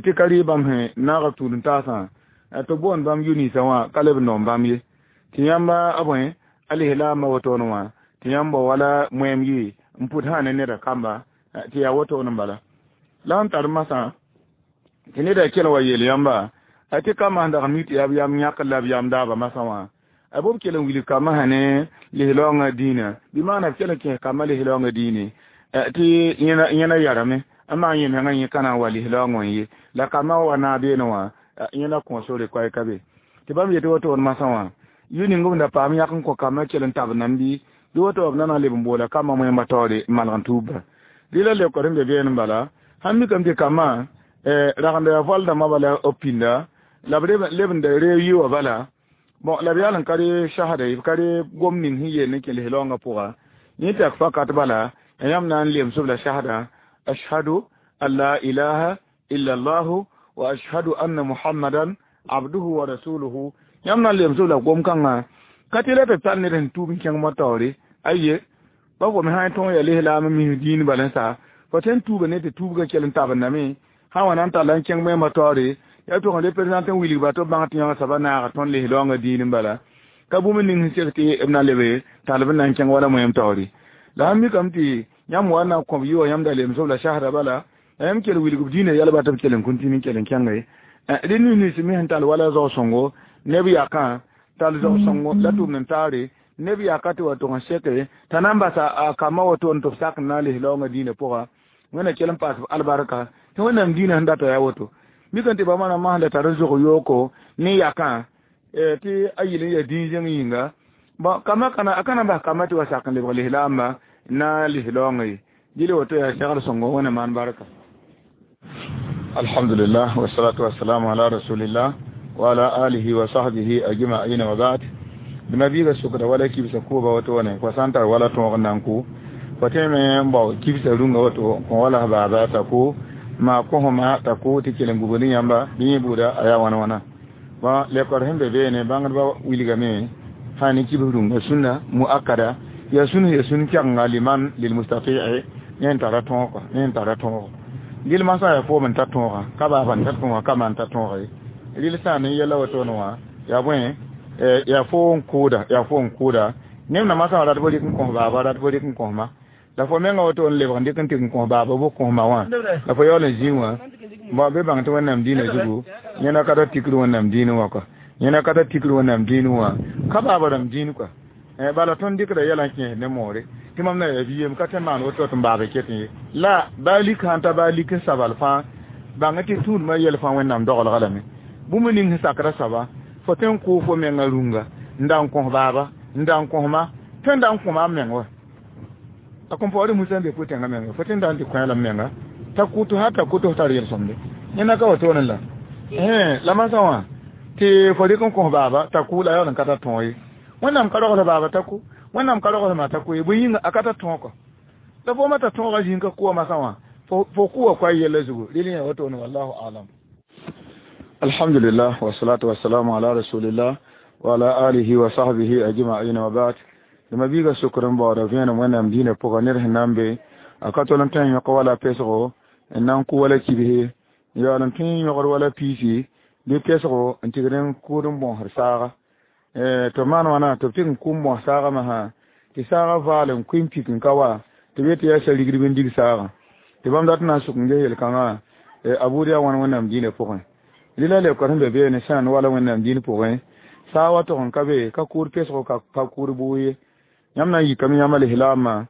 tɩ ka rɩ bãmb sẽn naag b tũud n taasã tɩ b boond bãmb yu-ninsã wã ka leb n noom bãmb ye tɩ yãmba a bõe a lislaambã wotone wã tɩ yãmb wa wala moɛɛm yɩ n pʋd sã ne neda kamba tɩ yaa wotone n bala la sẽn tar masã tɩ neda kell wa yeel yãmba tɩ kambã sẽn dag n mi tɩ yaa b yam yãk la b yam daaba masã wã a b kell n wilg kambã sã ne lislaoongã dĩinã bɩ maana b kell n kẽes kambã lislaoongã dĩine tɩ yẽna yarame n maan yẽ mengã yẽ ka na n wa lislaoongã n ye la kambã wa naag beene wã yẽna kõ sore koɛɛ ka be tɩ bãmb yetɩ wotone masã wã yʋ ning b da paam yãk n kõ kambã kell n tab nam bɩ bɩ woto b na na n leb n boola kambã moẽmbã taoore n malg n tuubba rɩla leookd sẽn be beene n bala sãn mikame tɩ kambã ragenda yaa voal dãmbã bala b pĩnda la b leb n da reeg yɩ wã bala bon la b yaal n ka re sasda ye b ka re gom ning sẽn yeel ne kẽ lislaoongã pʋga yẽ tɩ yak fakat bala yãmb na n lems b la sasda ashhadu an la ilaha illa allahu wa ashhadu anna muhammadan abduhu wa rasuluhu yãmb na n lems b la gom-kãngã ka tɩ la tɩ tar ned sẽn tuub n kẽng mo taoore aye ba fo me sã n tõog yaa lislaam n mis dĩin bala n sa fo tõe n tuuba ne tɩ tuubgã kell n tabendame sã n wa na n talla n kẽng moɛɛmã taoore yaa tʋg n représente n wilgba tɩ b bãng tɩ yãng soaba naaga tõnd lislaoongã dĩin n bala ka bũmb ning sẽn sek tɩ b na lebe tall b na n kẽng wala moɛɛm taoore la sãn mikame tɩ yãmb wa na n kõb yɩ wã yãmb da lems b la sasda bala la yãmb kell wilg b dĩinã yɛlba tɩ b kell n kũntini n kell n kẽnge rẽ nins me sẽn tall wala zao-sõngo neb yakã tall zao-sõngo la tʋʋmd n taare neb yaka tɩ wa tʋg n seke t'a na n basa a kambã wotone tɩ b sak n na n lislaoongã dĩinã pʋga Wẽnna kell n paas b albarka tɩ Wẽnnaam dĩinã sẽn data yaa woto mikame tɩ bãmba rãmbã sẽn da tar n zog yooko ne yakã tɩ a yɩl n yaa dĩn-zẽng yĩnga bon kambã kana a ka na n bas kambã tɩ wa sak n lebg lislaambã na lislaoongã ye dɩl woto yaa segl sõngo Wẽnna maan barka. Alhamdulillah wassalatu wassalamu ala rasulillah wa ala alihi wa sahbihi ajma'in wa ba'd. D mabiiga sʋkda wala kibsa kʋʋba wotone fo sã n tar wala tõog n na n kʋ fo tõeme n bao kibsa rũngã woto kõ wala baaba t'a kʋ maa kosẽma t'a kʋ tɩ kell n gubd yãmba bɩ yẽ buuda a yaa wãna wãna bon lekor sẽn be beene bãngdbã wilgame sã ne kibs rũngã sũnna muakada yaa sũn ya sũn kɛgenga liman lilmustati'i ne n tara tõog kɔa ne n tara tõogo rɩl masã yaa foom n ta tõoga ka baaba n ta tõoga ka ma n ta tõoga ye rɩl sã ne yɛla wotone wã yaa bõe yaa fo n kʋʋda yaa fo n kʋʋda neb na masã rat bɩ rɩk n kõs baaba rat bɩ rɩk n kõsma la fo menga woto n lebg n dɩk n tɩg n kõs baaba bɩ kõsma wã la fo yaool n zĩig wã bõ be bãng tɩ wẽnnaam dĩinã zugu yẽna ka ta tikr wẽnnaam dĩinẽ wã kɔa yẽna ka ta tikr wẽnnaam dĩinẽ wã ka baaba rãmb dĩin kɔa bala tõnd dɩkda yɛla n kẽes ne moore tɩ mam na yaa bi-yem ka tõe n maan woto tɩ n baab ket ye la baa lik sãn ta baa lik n sabal fãa bãng tɩ tũudmã yɛl fãa wẽnnaam dogelga lame bũmb ning sẽn sakra soaba fo tõe n kʋʋ fo menga rũnga n da n kõs baaba n da n kõsma tõe n da n kõma m meng wa a kõn paood musa n be pʋ-tẽngã menga fo tõe n da n tɩ kõ la m menga t'a kʋt ha t'a kʋt f tar yel-sõmde yẽna ka wotone la la masã wã tɩ fo rɩk n kõs baaba t'a kʋ la yaool n ka ta tõog ye wẽnnaam ka rogl baaba t'a kʋ wẽnnaam ka rogl ma t'a kʋ ye bõe yĩnga a ka ta tõog kɔ la fo ma t'a tõoga zĩig ka kʋa masã wã fo kʋwa koa yɛlla zugu rɩl yã wotone wallahu alam alhamdulillah wasalatu wasalamu ala rasulillah wa ala alihi wa sahbihi ajma'in wa ba'd dama biiga sokr n baooda vẽenem wẽnnaam dĩinã pʋga ned sẽn na n be a ka tol n tõe n yõk wala pesgo n na n kʋ wala kibse n yaool n tõe n yõgd wala piisi bɩ pesgo n tigd n kʋʋd n bõosd saaga tɩ maan wãna tɩ b tɩg n kʋ n bõos saagã masã tɩ saagã vaal n kʋɩ n pik n ka wa tɩ b yetɩ yaa sa-rigdb n dig saagã tɩ bãmb dat n na n sʋk n ges yel-kãngã a buud yaa wãn wẽnnaam dĩinã pʋgẽ rɩla leoka sẽn be beene sãn wala wẽnnaam dĩin pʋgẽ saa wa tog n ka be ka kʋʋd pesgo ka kʋʋd bʋʋg ye yãmb na n yikame yãmb alislaamã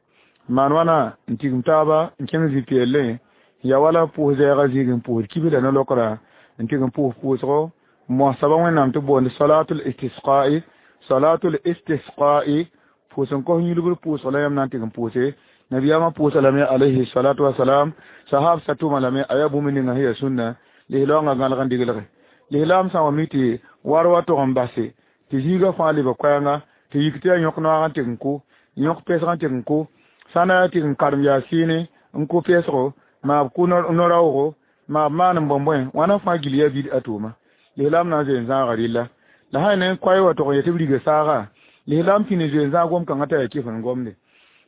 maan wãna n tigim taaba n kẽng zĩ-peellẽ ya wala pʋʋs zɛɛgã zĩig n pʋʋsd kibsda no-lokra n tɩg n pʋʋs pʋʋsgo n moas soaba wẽnnaam tɩ boond salatul istisqa'i salatul istisqa'i pʋʋs n kos yũlgr pʋʋsg la yãmb na n tɩg n pʋʋse nabiyaamã pʋʋsa lame alayhi salatu wasalam sahab sa tʋma lame a yaa bũmb ninga sẽn yaa sũnna lislaoongã gãlg n diglge lislaam sã wa mi tɩ war wa tog n base tɩ zĩigã fãa leba koɛɛnga tɩ yik tɩ yaa yõk noaag n tɩg n kʋ yõk pesg n tɩg n kʋ sã na yaa tɩg n karem yaa sɩɩne n kʋ pesgo maa b kʋ no-raoogo maa b maan n bõe-bõe wãna fãa gil yaa bid a tʋʋma lislaam na n zoe n zãaga rɩlla la sã ne koɛɛ wa tog n yetɩ b riga saaga lislaam pĩnd n zoe n zãag gom-kãngã t'a yaa kɩf n gomde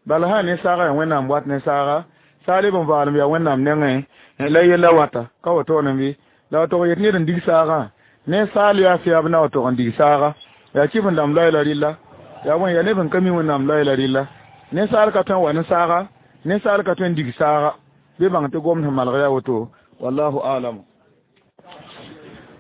bala sã ne saaga yaa wẽnnaam wat ne saaga saa leb n vaalem yaa wẽnnaam nengẽ la yella wata ka wotone bɩ la wa tog yet ned n dig saagã ne saal yaa fɛɛb na wa tog n dig saaga yaa kɩf n dãmb loɛɛ la rɩlla yaa bõe yaa neb sẽn ka mi wẽnnaam loɛɛ la rɩlla ninsaal ka tõe n wa ne saaga ninsaal ka tõe n dig saaga bɩ bãng tɩ gomd sẽn malg yaa woto wallahu alam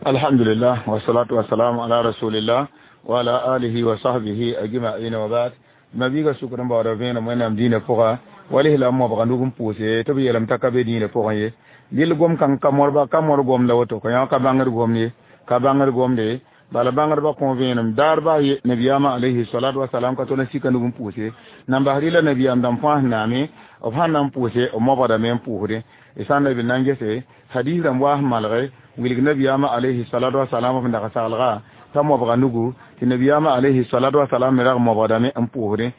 alhamdulillah wasalatu wasalamu ala rasulillah wa ala alihi wa sahbihi ajma'in wa ba'd mabiiga sukr n baooda vẽenem wẽnnaam dĩinã pʋga walislam mobga nug n pʋʋse tɩ b yeelame t'a ka be dĩinã pʋgẽ ye dɩl gom kãng ka morba ka mor gom la woto ka yã ka bãngd gom ye ka bãngd gomde bala bãngdbã kõ vẽenem daar baa ye nabiyaamã alayhi salatu wasalam ka tol n sika nug n pʋʋse nan bas rɩla nabiyaam dãmb fãa sẽn naame b sãn na n pʋʋse b mobgdame n pʋʋsdẽ d sã n la b na n gese hadis rãmb waa sẽn malge wilg nabiyaamã alayhi salatu wasalam f dag saglga t'a mobga nugu tɩ nabiyaamã alayhi salatu wasalam me rag mobgdame n pʋʋsdẽ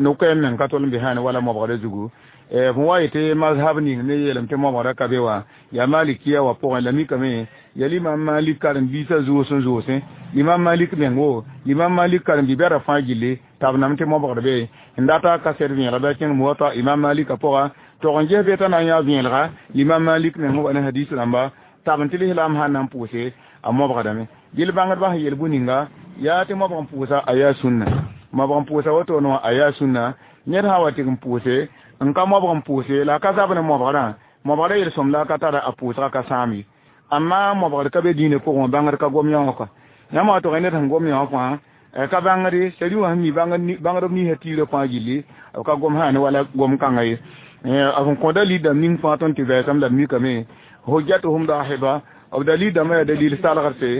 no-koɛɛm meng ka tol n be sãne wala mobgdã zugu f wa yetɩ mazhab ning ne yeelame tɩ mobgdã ka be wã yaa malikiya wã pʋgẽ la mikame yaa limam malik karen-biisã zoos n zoosẽ limam malik meng wo limam malik karen-bi-bɛda fãa gilli t'a b nam tɩ mobgd be n data kaset vẽelg bɩ a kẽng muwata imam malika pʋga tog n ges be t'a na n yaa vẽelga limam malik meng wa ne hadis rãmba tab n tɩ lislaam sãn na n pʋʋse a mobgdame dɩl bãngdbã sẽn yel bũ-ninga yaa tɩ mobg n pʋʋsa a yaa sũnna mobg n pʋʋsa wotone wã a yaa sũnna ned sã wa tɩg n pʋʋse n ka mobg n pʋʋse la a ka zab ne mobgrã mobgrã yel-sõm la a ka tara a pʋʋsga ka sãam ye amma mobgd ka be dĩinã pʋgẽ wã bãngd ka gom yã wã kɔa yãmb wa tog ned sẽn gom yã wã fãa ka bãngde sari wã sẽn mi bãngdb ninsã tiirã fãa gilli b ka gom sãane wala gom kãngã ye b sẽn kõ dalil dãmb ning fãa tõnd tɩ vɛɛsame la b mikame hujjatuhum dahiba b dalil dãmbã yaa dalil salgdse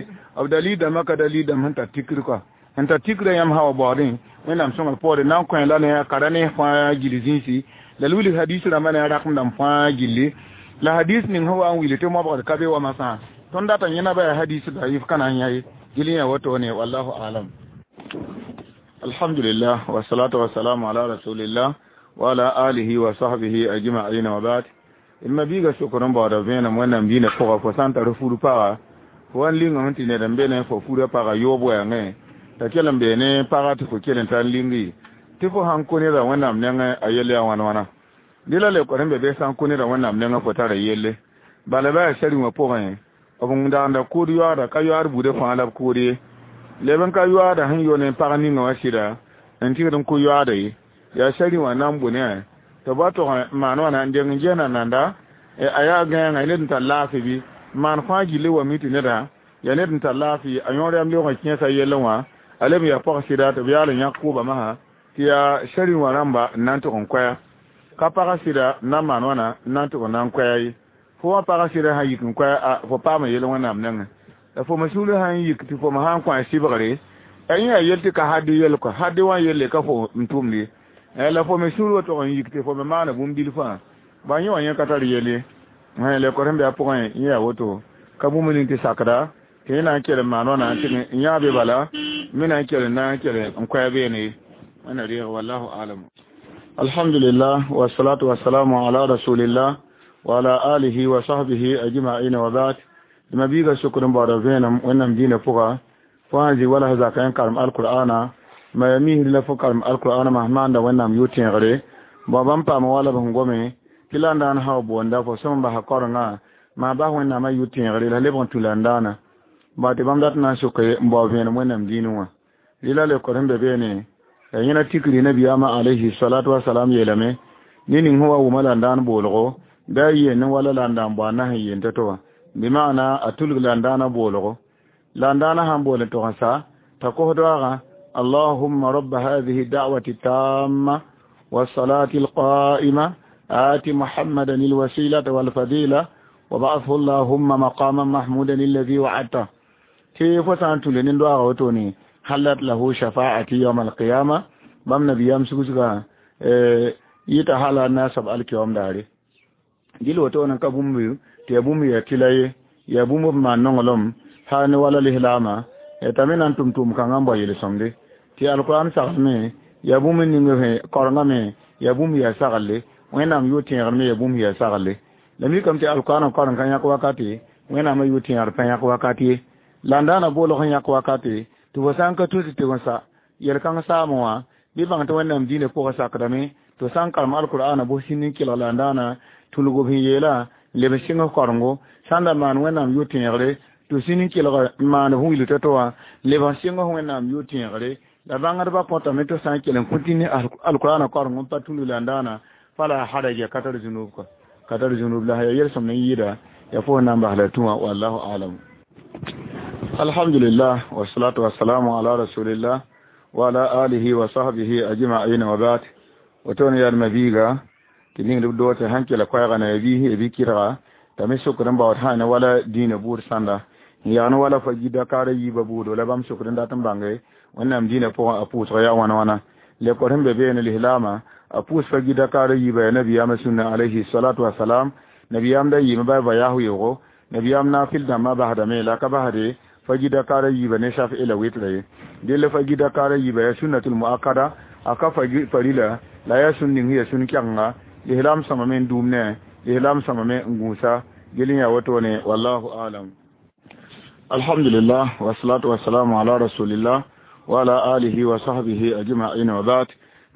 b dalil dãmbã ka dalil dãmb sẽn tar tikr kɔa sẽn tar tikrã yãmb sã wa baoodẽ wẽnnaam sõngr poore na n kõ la ne a kara ne fãa gil zĩisi la l wilg hadis rãmbã ne a rakem dãmb fãa gilli la hadis ning sẽn wa n wil tɩ mobgd ka be wa masã tõnd data yẽna ba yaa hadis daif ka na n yã ye gil yã wotone wallahu alam alhamdulillah wasalatu wasalamu ala rasulillah wa ala alihi wa sahbihi ajma'in wa ba'd ma biiga sokr n baooda vẽenem wẽnnaam dĩinã pʋga fo sã n tar fur paga fo wa n lingame tɩ ned n be ne fo furã paga yoob wɛɛngẽ T'a kell n bee ne pagã tɩ fo kell n tar lingi tɩ fo sãn kõ nedã Wẽnnaam nengẽ a yell yaa wãn wãna. Dɩ la leokd sẽn be bɩ sã n kõ nedã Wẽnnaam nengẽ fo tara yelle. Bala bɩ yaa sari wã pʋgẽ b n daanda kʋʋd yoaada ka yoaad buudã fãa la b kʋʋd ye. Leb n ka yoaada sẽn yo ne pag ninga wã sɩda n tɩgd n kʋ yoaada ye. Yaa sari wã na n bʋ ne tɩ b wa tog n maan wãna n deng n gesna nanda a yaa gãenga ned n tar laafɩ bɩ maan fãa gilli wa mi tɩ neda yaa ned n tar laafɩ a yõor yam leoog n kẽesa yellẽ wã a leb n yaa pag sɩda tɩ b yaal n yãk kʋʋba masã tɩ yaa sari wã rãmba n na n tʋg n koɛa ka pagã sɩda n na n maan wãna n na n tʋg n na n koɛa ye. Fo wã pagã sɩda sã n yik n koɛa a fo paama yell Wẽnnaam nengẽ. La fo me sũurã sã n yik tɩ fo me sã n kõ a sɩbgre a yẽ yaa yell tɩ ka hadɩ yell kɔ hadɩ wã yelle ka fo n tʋmd ye. La fo me sũur wa tog n yik tɩ fo me maana bũmb bilfã ba yẽ wã yẽ ka tar yell ye. Lekor sẽn be a pʋgẽ yẽ yaa woto ka bũmb ning tɩ sakda tɩ yẽ na n kell n maan wãna tɩ n yã be bala me na n kell n na n kell n koɛa beene ye. Wẽnna reeg wallahu alam. Alhamdulillah wassalatu wassalamu ala rasulillah wa ala alihi wa sahbihi ajma'in wa ba'd. Ma biiga sʋkd n baooda vẽenem Wẽnnaam dĩinã pʋga fo sã n zĩ wala zaka n karem alqur'ana ma ya misd la fo karem alqur'ana ma maanda Wẽnnaam yʋ-tẽegre bao bãmb paama wala b sẽn gome tɩ la n daan sã boonda fo sõm basa korenga maa bas Wẽnnaamã yʋ-tẽegre la lebg n tũ la n daana ba tɩ bãmb dat n na n soke n bao vẽenem Wẽnnaam dĩinẽ wã. Rɩ la leokd sẽn be beene ya yẽna tikri nabiyaamã alayhi salatu wasalam yeelame ne ning sẽn wa wʋma la n daan boolgo bɩ a yeen ne wala la n daan bao a na sẽn yeen to-to wã bɩ maana a tulg la n daana boolgo la n daana sãn bool n tog n sa t'a kos doaagã allahumma rabba hadihi da'wati tamma والصلاة القائمة آت محمدا الوسيلة والفضيلة وبعثه اللهم مقاما محمودا الذي وعدته تي فسان تولين دعاء وتوني حلت له شفاعتي يوم القيامة بام نبي يام سوسغا يتا حالا الناس القيام داري gil woto nan ka bũmb tɩ ya bũmb ya tɩla ye ya bũmb b maan nonglem ha ne wala lislaama t'a me na n tʋm tʋʋm kãngã n bao yel-sõmde tɩ alkurãn saglme ya bũmb ning korengã me ya bũmb yaa saglle Wẽnnaam yʋ-tẽegr me ya bũmb yaa saglle la mikame tɩ alkurãn koreng ka yãk wakate Wẽnnaamã yʋ-tẽegr pa yãk wakat ye la n daana boolg n yãk wakate tɩ fo sã n ka tus tɩ sa yel-kãng saamẽ wã bɩ bãng tɩ Wẽnnaam dĩinã pʋgã sakdame tɩ sã n karem alkurãna bʋ sĩnd n kelg la n daana tulg b sẽn yeela n leb n sɩng korengo sã n da maan Wẽnnaam yʋ-tẽegre tɩ sĩnd n kelg n maan f wilg to-to wã leb n sɩng Wẽnnaam yʋ-tẽegre la bãngdbã kõtame tɩ sã n kell n kõ tɩ ne alkurãna koreng n pa tulg la n daana fala haraja ka tar zunub ka ka tar zunub la ya yel-sõm n yɩɩda ya fo na n bas la tũ wã wallahu alam. Alhamdulillah wassalatu wassalamu ala rasulillah wa ala alihi wa sahbihi ajma'in wa ba'd. Woto ne yaa mabiiga tɩ ning b dood tɩ sãn kela koɛɛga na ya biis ya bi-kɩrga t'a me sokd n baood sã ne wala dĩinã buud sãnda n yag ne wala fa gi-dakaarã yiibã buudo la bãmb sokd n dat n bãnge Wẽnnaam dĩinã pʋgẽ a pʋʋsg yaa wãna wãna lekor sẽn be beene lislaamã a pʋʋs fa gi-dakaarã yiibã yaa nabiyaamã sũnna alayhi salatu wasalam nabiyaam da yɩɩme ba va yaas weoogo nabiyaam naafɩl dãmbã basdame la ka basde fa gi-dakaarã yiibã ne saf la wɩtra ye dell fa gi-dakaarã yiibã yaa sunnatul muakkada a ka farila la yaa sũn ning yaa sũn kɛgenga lislaam sõmame n dũum ne lislaam sõmame n gũusa gel n yaa wotone wallahu alam. Alhamdulillah wassalatu wassalamu ala rasulillah wa ala alihi wa sahbihi ajma'in wa ba'd.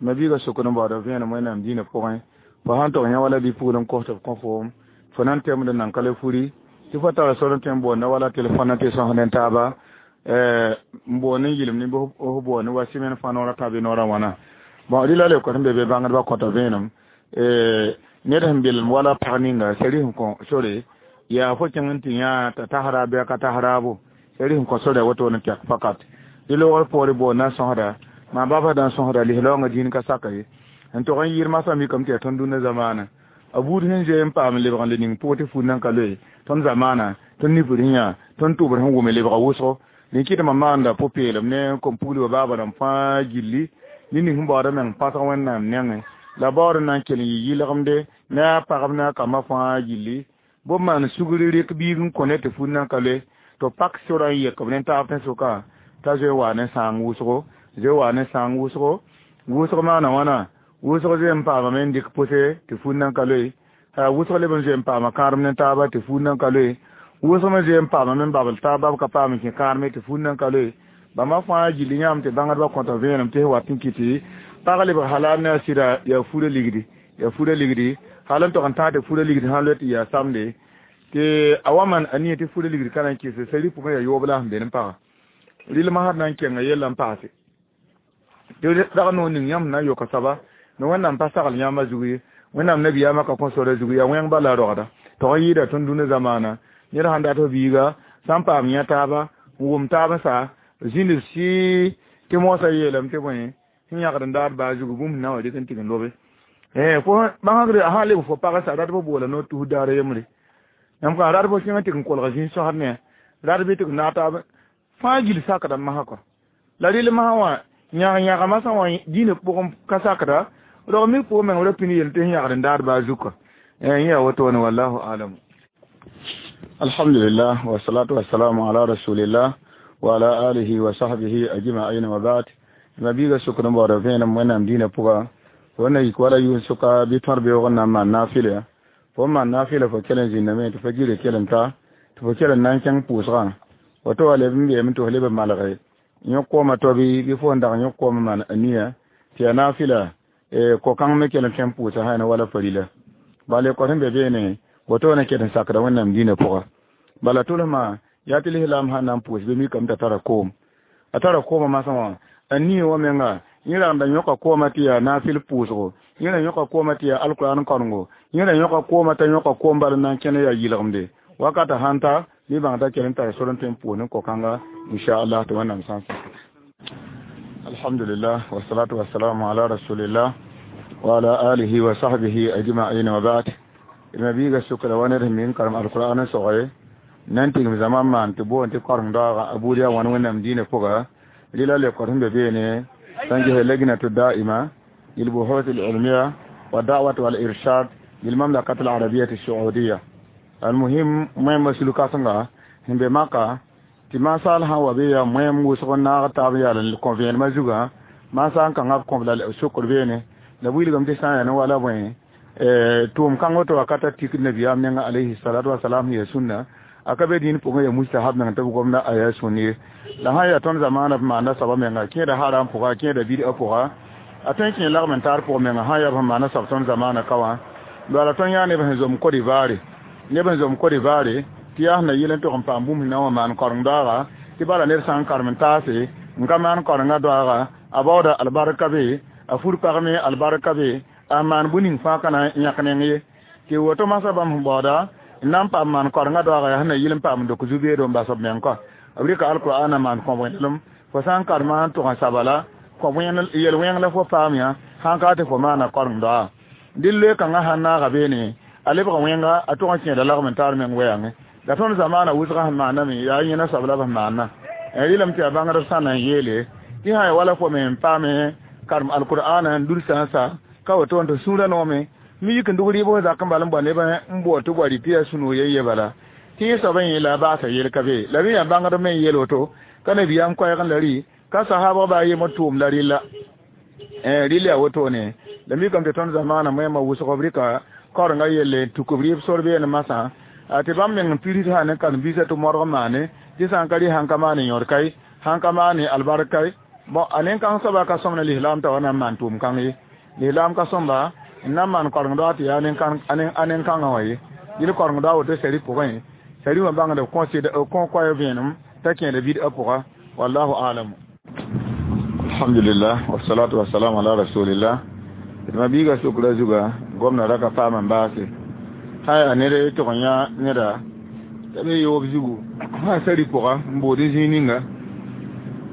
Mabiiga sokd n baooda vẽenem Wẽnnaam dĩinã pʋgẽ fo sãn tog yã wala bi-pugl n kos tɩ b kõ foom fo na n temd n nan ka le furi tɩ fo tara sor n tõe n boonda wala telefõn tɩ sõs ne taaba n boond n yɩlem ne f boond wa sɩmɛn fãa noorã tã bɩ noorã wãna bon rɩ la leokd sẽn be be bãngdbã kõta vẽenem ned sẽn belem wala pag ninga sari sẽn kõ sore yaa fo kẽng n tɩ yã t'a tas raab bɩ a ka tas raabo sari sẽn kõ sore woto n tɛk fakat dɩ loogr poore boond na n sõsda maa baba da n sõsda lislaoongã dĩin ka saka ye n tog n yɩɩr masã mikame tɩ yaa tõnd dũnna zamaana a buud sẽn zoe n paam lebg n le ning pʋgẽ tɩ fut nan ka loe tõnd zamaana tõnd nifr sẽn yã tõnd tʋbr sẽn wʋme lebga wʋsgo dẽn kɩtmã maanda pʋ-peelem ne kom-pugl wa baaba rãmb fãa gilli ne ning sẽn baoodã meng pãsg Wẽnnaam nengẽ la baood n na n kell n yɩ yɩlgemde ne a pagb ne a kambã fãa gilli bõb maan sugr rɩk biig n kõ ne tɩ fut nan ka loe tɩ pak sorã n yek b ne taab tẽn-sʋka t'a zoe wa ne sãang wʋsgo zoe wa ne sãang wʋsgo wʋsg maana wãna wʋsg zoe n paamame n dɩk pʋse tɩ fut nan ka loe wʋsg leb n zoe n paama kãadem ne taaba tɩ fut nan ka loe wʋsg me zoe n paamame n babl taab bab ka paam n kẽ kãadme tɩ fut nan ka loe Bãmba fãa gilli yãmb tɩ bãngdbã kõta vẽenem tɩ wat n kɩtɩ pag lebg halal ne a sɩda yaa fura ligdi yaa fura ligdi hal n tog n tãag tɩ fura ligd sã n loe tɩ yaa samde tɩ a wa maan a nia tɩ fura ligd ka na n kɩse sari pʋgẽ yaa yoob la sẽn be ne paga rɩlmã sã na n kenga yella n paase tɩ dag noor ning yãmb na n yoka soaba ne wẽnnaam pa sagl yãmba zug ye wẽnnaam nabiyaamã ka kõ sora zug yaa wẽng bala rogda tog n yɩɩda tõnd dũnã zamaana ned sãn dat f biiga sã n paam yã taaba n wʋm taab n sa zĩnd b sɩɩ tɩ moosã yeelame tɩ bõe sẽn yãgd n daad baa zugu bũmb na wã rɩk n tɩg n lobe fo bãngre a sã n leb fo pag sa rat fo boola noor tus daar yembre yãmb kã rat fo kẽng tɩg n kolg zĩig sõsd ne rat bɩ tɩg naag taab fãa gill sakda masã kɔ la rɩl masã wã yãg yãga masã wã dĩinã pʋgẽ ka sakda rog mik pʋgẽ meng ra pĩnd yel tɩ sẽn yãgd n daad baa zug kɔ yẽ yaa wotone wallahu alam. Alhamdulillah wasalatu wasalamu ala rasulillah wa ala alihi wa sahbihi ajma'in wa ba'd. Ma biiga sʋkd n baooda vẽenem wẽnnaam dĩinã pʋga fo na yik wala yʋʋs sʋka bɩ tõr beoog n na n maan naafɩla fo n maan naafɩla fo kell n zĩndame tɩ fo gire kell n ta tɩ fo kell n na n kẽng pʋʋsgã woto wa leb n beeme tɩ fo leb n malge yõk koomã to bɩ fo n dag yõk koomã maan a nia tɩ yaa naafɩla ko-kãng me kell n tõe n pʋʋsa sã wala farila bala kõ sẽn be beene woto na ket n sakda wẽnnaam dĩinã pʋga bala tʋlsmã yaa tɩ lislaam sãn na n pʋʋs bɩ mikame t'a tara koom a tara koomã masã wã a nie wã menga yẽ ragda yõka koomã tɩ yaa naafɩl pʋʋsgo yẽ ra yõka koomã tɩ yaa alkuraan karengo yẽ ra yõka koomã t'a yõka koom bal n na n kẽne yaa yɩlgemde wakata sãn ta bɩ bãng t'a kell n tara sor n tõe n pʋʋs ne ko-kãnga inchallah tɩ wẽnnaam sã n sak. Alhamdulillah wasalatu wasalamu ala rasulillah wa ala alihi wa sahbihi ajma'in wa ba'd. Ma biiga sʋkra wa ned sẽn mi n karem alkuraan n sogre nan tigm zãma n maan tɩ boond tɩ karem daooga a buud yaa wãn wẽnnaam dĩinã pʋga rɩla le kõt sẽn be beene sãn ges lajnatu daima lilbuhut alilmiya wa da'wat wal irshad lilmamlakat alarabiyat alsaudiya almuhim moẽmba sulk-kãsenga sẽn be maka tɩ masaal sã n wa be yaa moẽm wʋsg n naag taab n yaal n kõ vẽenemã zugã maasa n kãngã b kõb la sokr beene la wilgame tɩ sã n yaa ne wala bõe tʋʋm kãng woto wakata tik nabiyaam nenga alayhi salatu wasalam sẽn yaa sũnna a ka be dĩin pʋgẽ yaa mustahab meng tɩ b gomda a yaa sũn ye la sã n yaa tõnd zamaana b maanda soaba menga kẽeda haram pʋga kẽeda bid'a pʋga a tõe n kẽ lagm n taar pʋg menga sã n yaa b sẽn maana soab tõnd zamaana ka wã bala tõnd yã neb sẽn zom Côte d'Ivoire neb sẽn zom Côte d'Ivoire tɩ yaa sẽn na yɩl n tog n paam bũmb sẽn na n wa maan koreng daooga tɩ bala ned sã n karem n taase n ka maan korengã daooga a baooda albarka be a fur pagme albarka be a maan bũ ning fãa ka na n yãk neng ye tɩ woto masã bãmb sẽn baooda n na n paam maan korengã daooga yaa sẽn na yɩl n paam n dok zu-beedo n bas b meng kɔ b rɩka alkur'ana maan kõ wẽnelem fo sã n karema n tʋg n saba la yel-wẽng la fo paam yã sãn ka tɩ fo maana koreng daoa dɩ loe kãngã sãn naaga beene a lebg wẽnga a tʋg n kẽeda lagm n taar meng wɛɛngẽ la tõnd zamaana wʋsgã sẽn maaname yaa yẽna soab la b sẽn maanna rɩlame tɩ yaa bãngdb sã na n yeele tɩ sã ya wala fo me n paame karem alkur'ana n dulsã n sa ka woto n tɩ sũurã noome mi yik n dug rɩɩb f zak n bal n boa neb n bood tɩ bɔa rɩ tɩ yaa sũ-noog ye ye bala tɩ yẽ soab n yẽ la a baasa yel ka be la bɩ yaa bãngdb me n yeel woto ka nabiyaam koɛɛg n la rɩ ka sahaabg baa yemd tʋʋm la rɩlla rɩl yaa wotone la mikame tɩ tõnd zamaana moẽmã wʋsg b rɩka kaorengã yelle n tuk b rɩɩb sor beene masã tɩ bãmb meng n pirs sã ne karen-biisã tɩ modg n maane tɩ sã n ka rɩ sãn ka maane yõd-kai sãn ka maane albarkai bon a nen-kãng soaba ka sõm ne lislaam t'a wa na n maan tʋʋm kãng ye lislaam ka sõmba n na n maan koreng daoog tɩ yaa a nen-kãngã wã ye yɩl koreng daoog woto sari pʋgẽ sari wã bãngd b kõ koɛɛ vẽenem t'a kẽeda bid'a pʋga wallahu alam. Alhamdulillah wasalatu wasalam ala rasulillah. D ma biiga sʋkra zuga gomna ra ka paam n baase sã yaa ned tʋg n yã neda t'a be yoob zugu sã sari pʋga n bood n zĩig ninga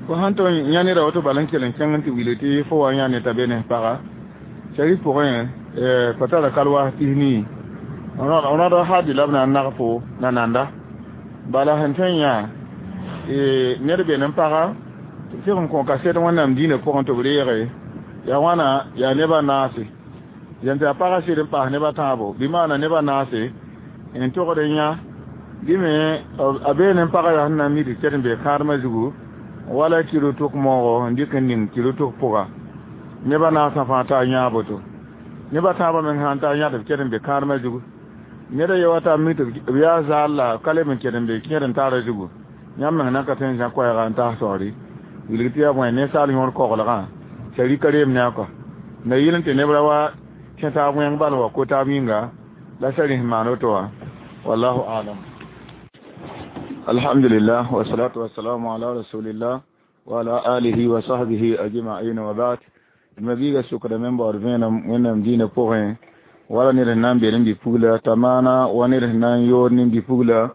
fo sãn tʋg n yã neda woto bala n kell n kẽng n tɩ wilg tɩ fo wa yã ne t'a be ne paga sari pʋgẽ fo tara kalwaas tis nii rõd hadi la b na n nag fo na nanda bala sẽn tõe n yã ned be ne paga tɩ sɩg n kõ kaset wẽnnaam dĩinã pʋgẽ tɩ b reege yaa wãna yaa nebã naase yãn tɩ a pagã sɩd n paas nebã tãabo bɩ maana nebã naase n togd n yã bɩ me a beene n pagã yaa sẽn na n mid ket n be kãadmã zugu wala kɩro-tʋk moogo n dɩk n ning kɩro-tʋk pʋga nebã naasã fãa t'a yãa boto nebã tãabã meng sãn t'a yãd b ket n be kãadmã zugu ned a ye wa t'a mi tɩ b yaa zaal la ka leb n ket n be kẽed n taara zugu yãmb meng na ka tõe n zã koɛɛga n taas taoore Wilg tɩ yaa bõe ninsaal yõor koglgã sari ka reem ne a kɔ na yɩl n tɩ neb ra wa kẽ taab wẽng bal wa ko taab yĩnga la sari sẽn maan woto wã wallahu alam. Alhamdulillah wasalatu wasalamu ala rasulillah wa ala alihi wa sahbihi ajma'in wa ba'd. Ma biiga sʋkdame n baood vẽenem wẽnnaam dĩinã pʋgẽ wala ned sẽn na n be ne bi-pugla t'a maana wa ned sẽn na n yood ne bi-pugla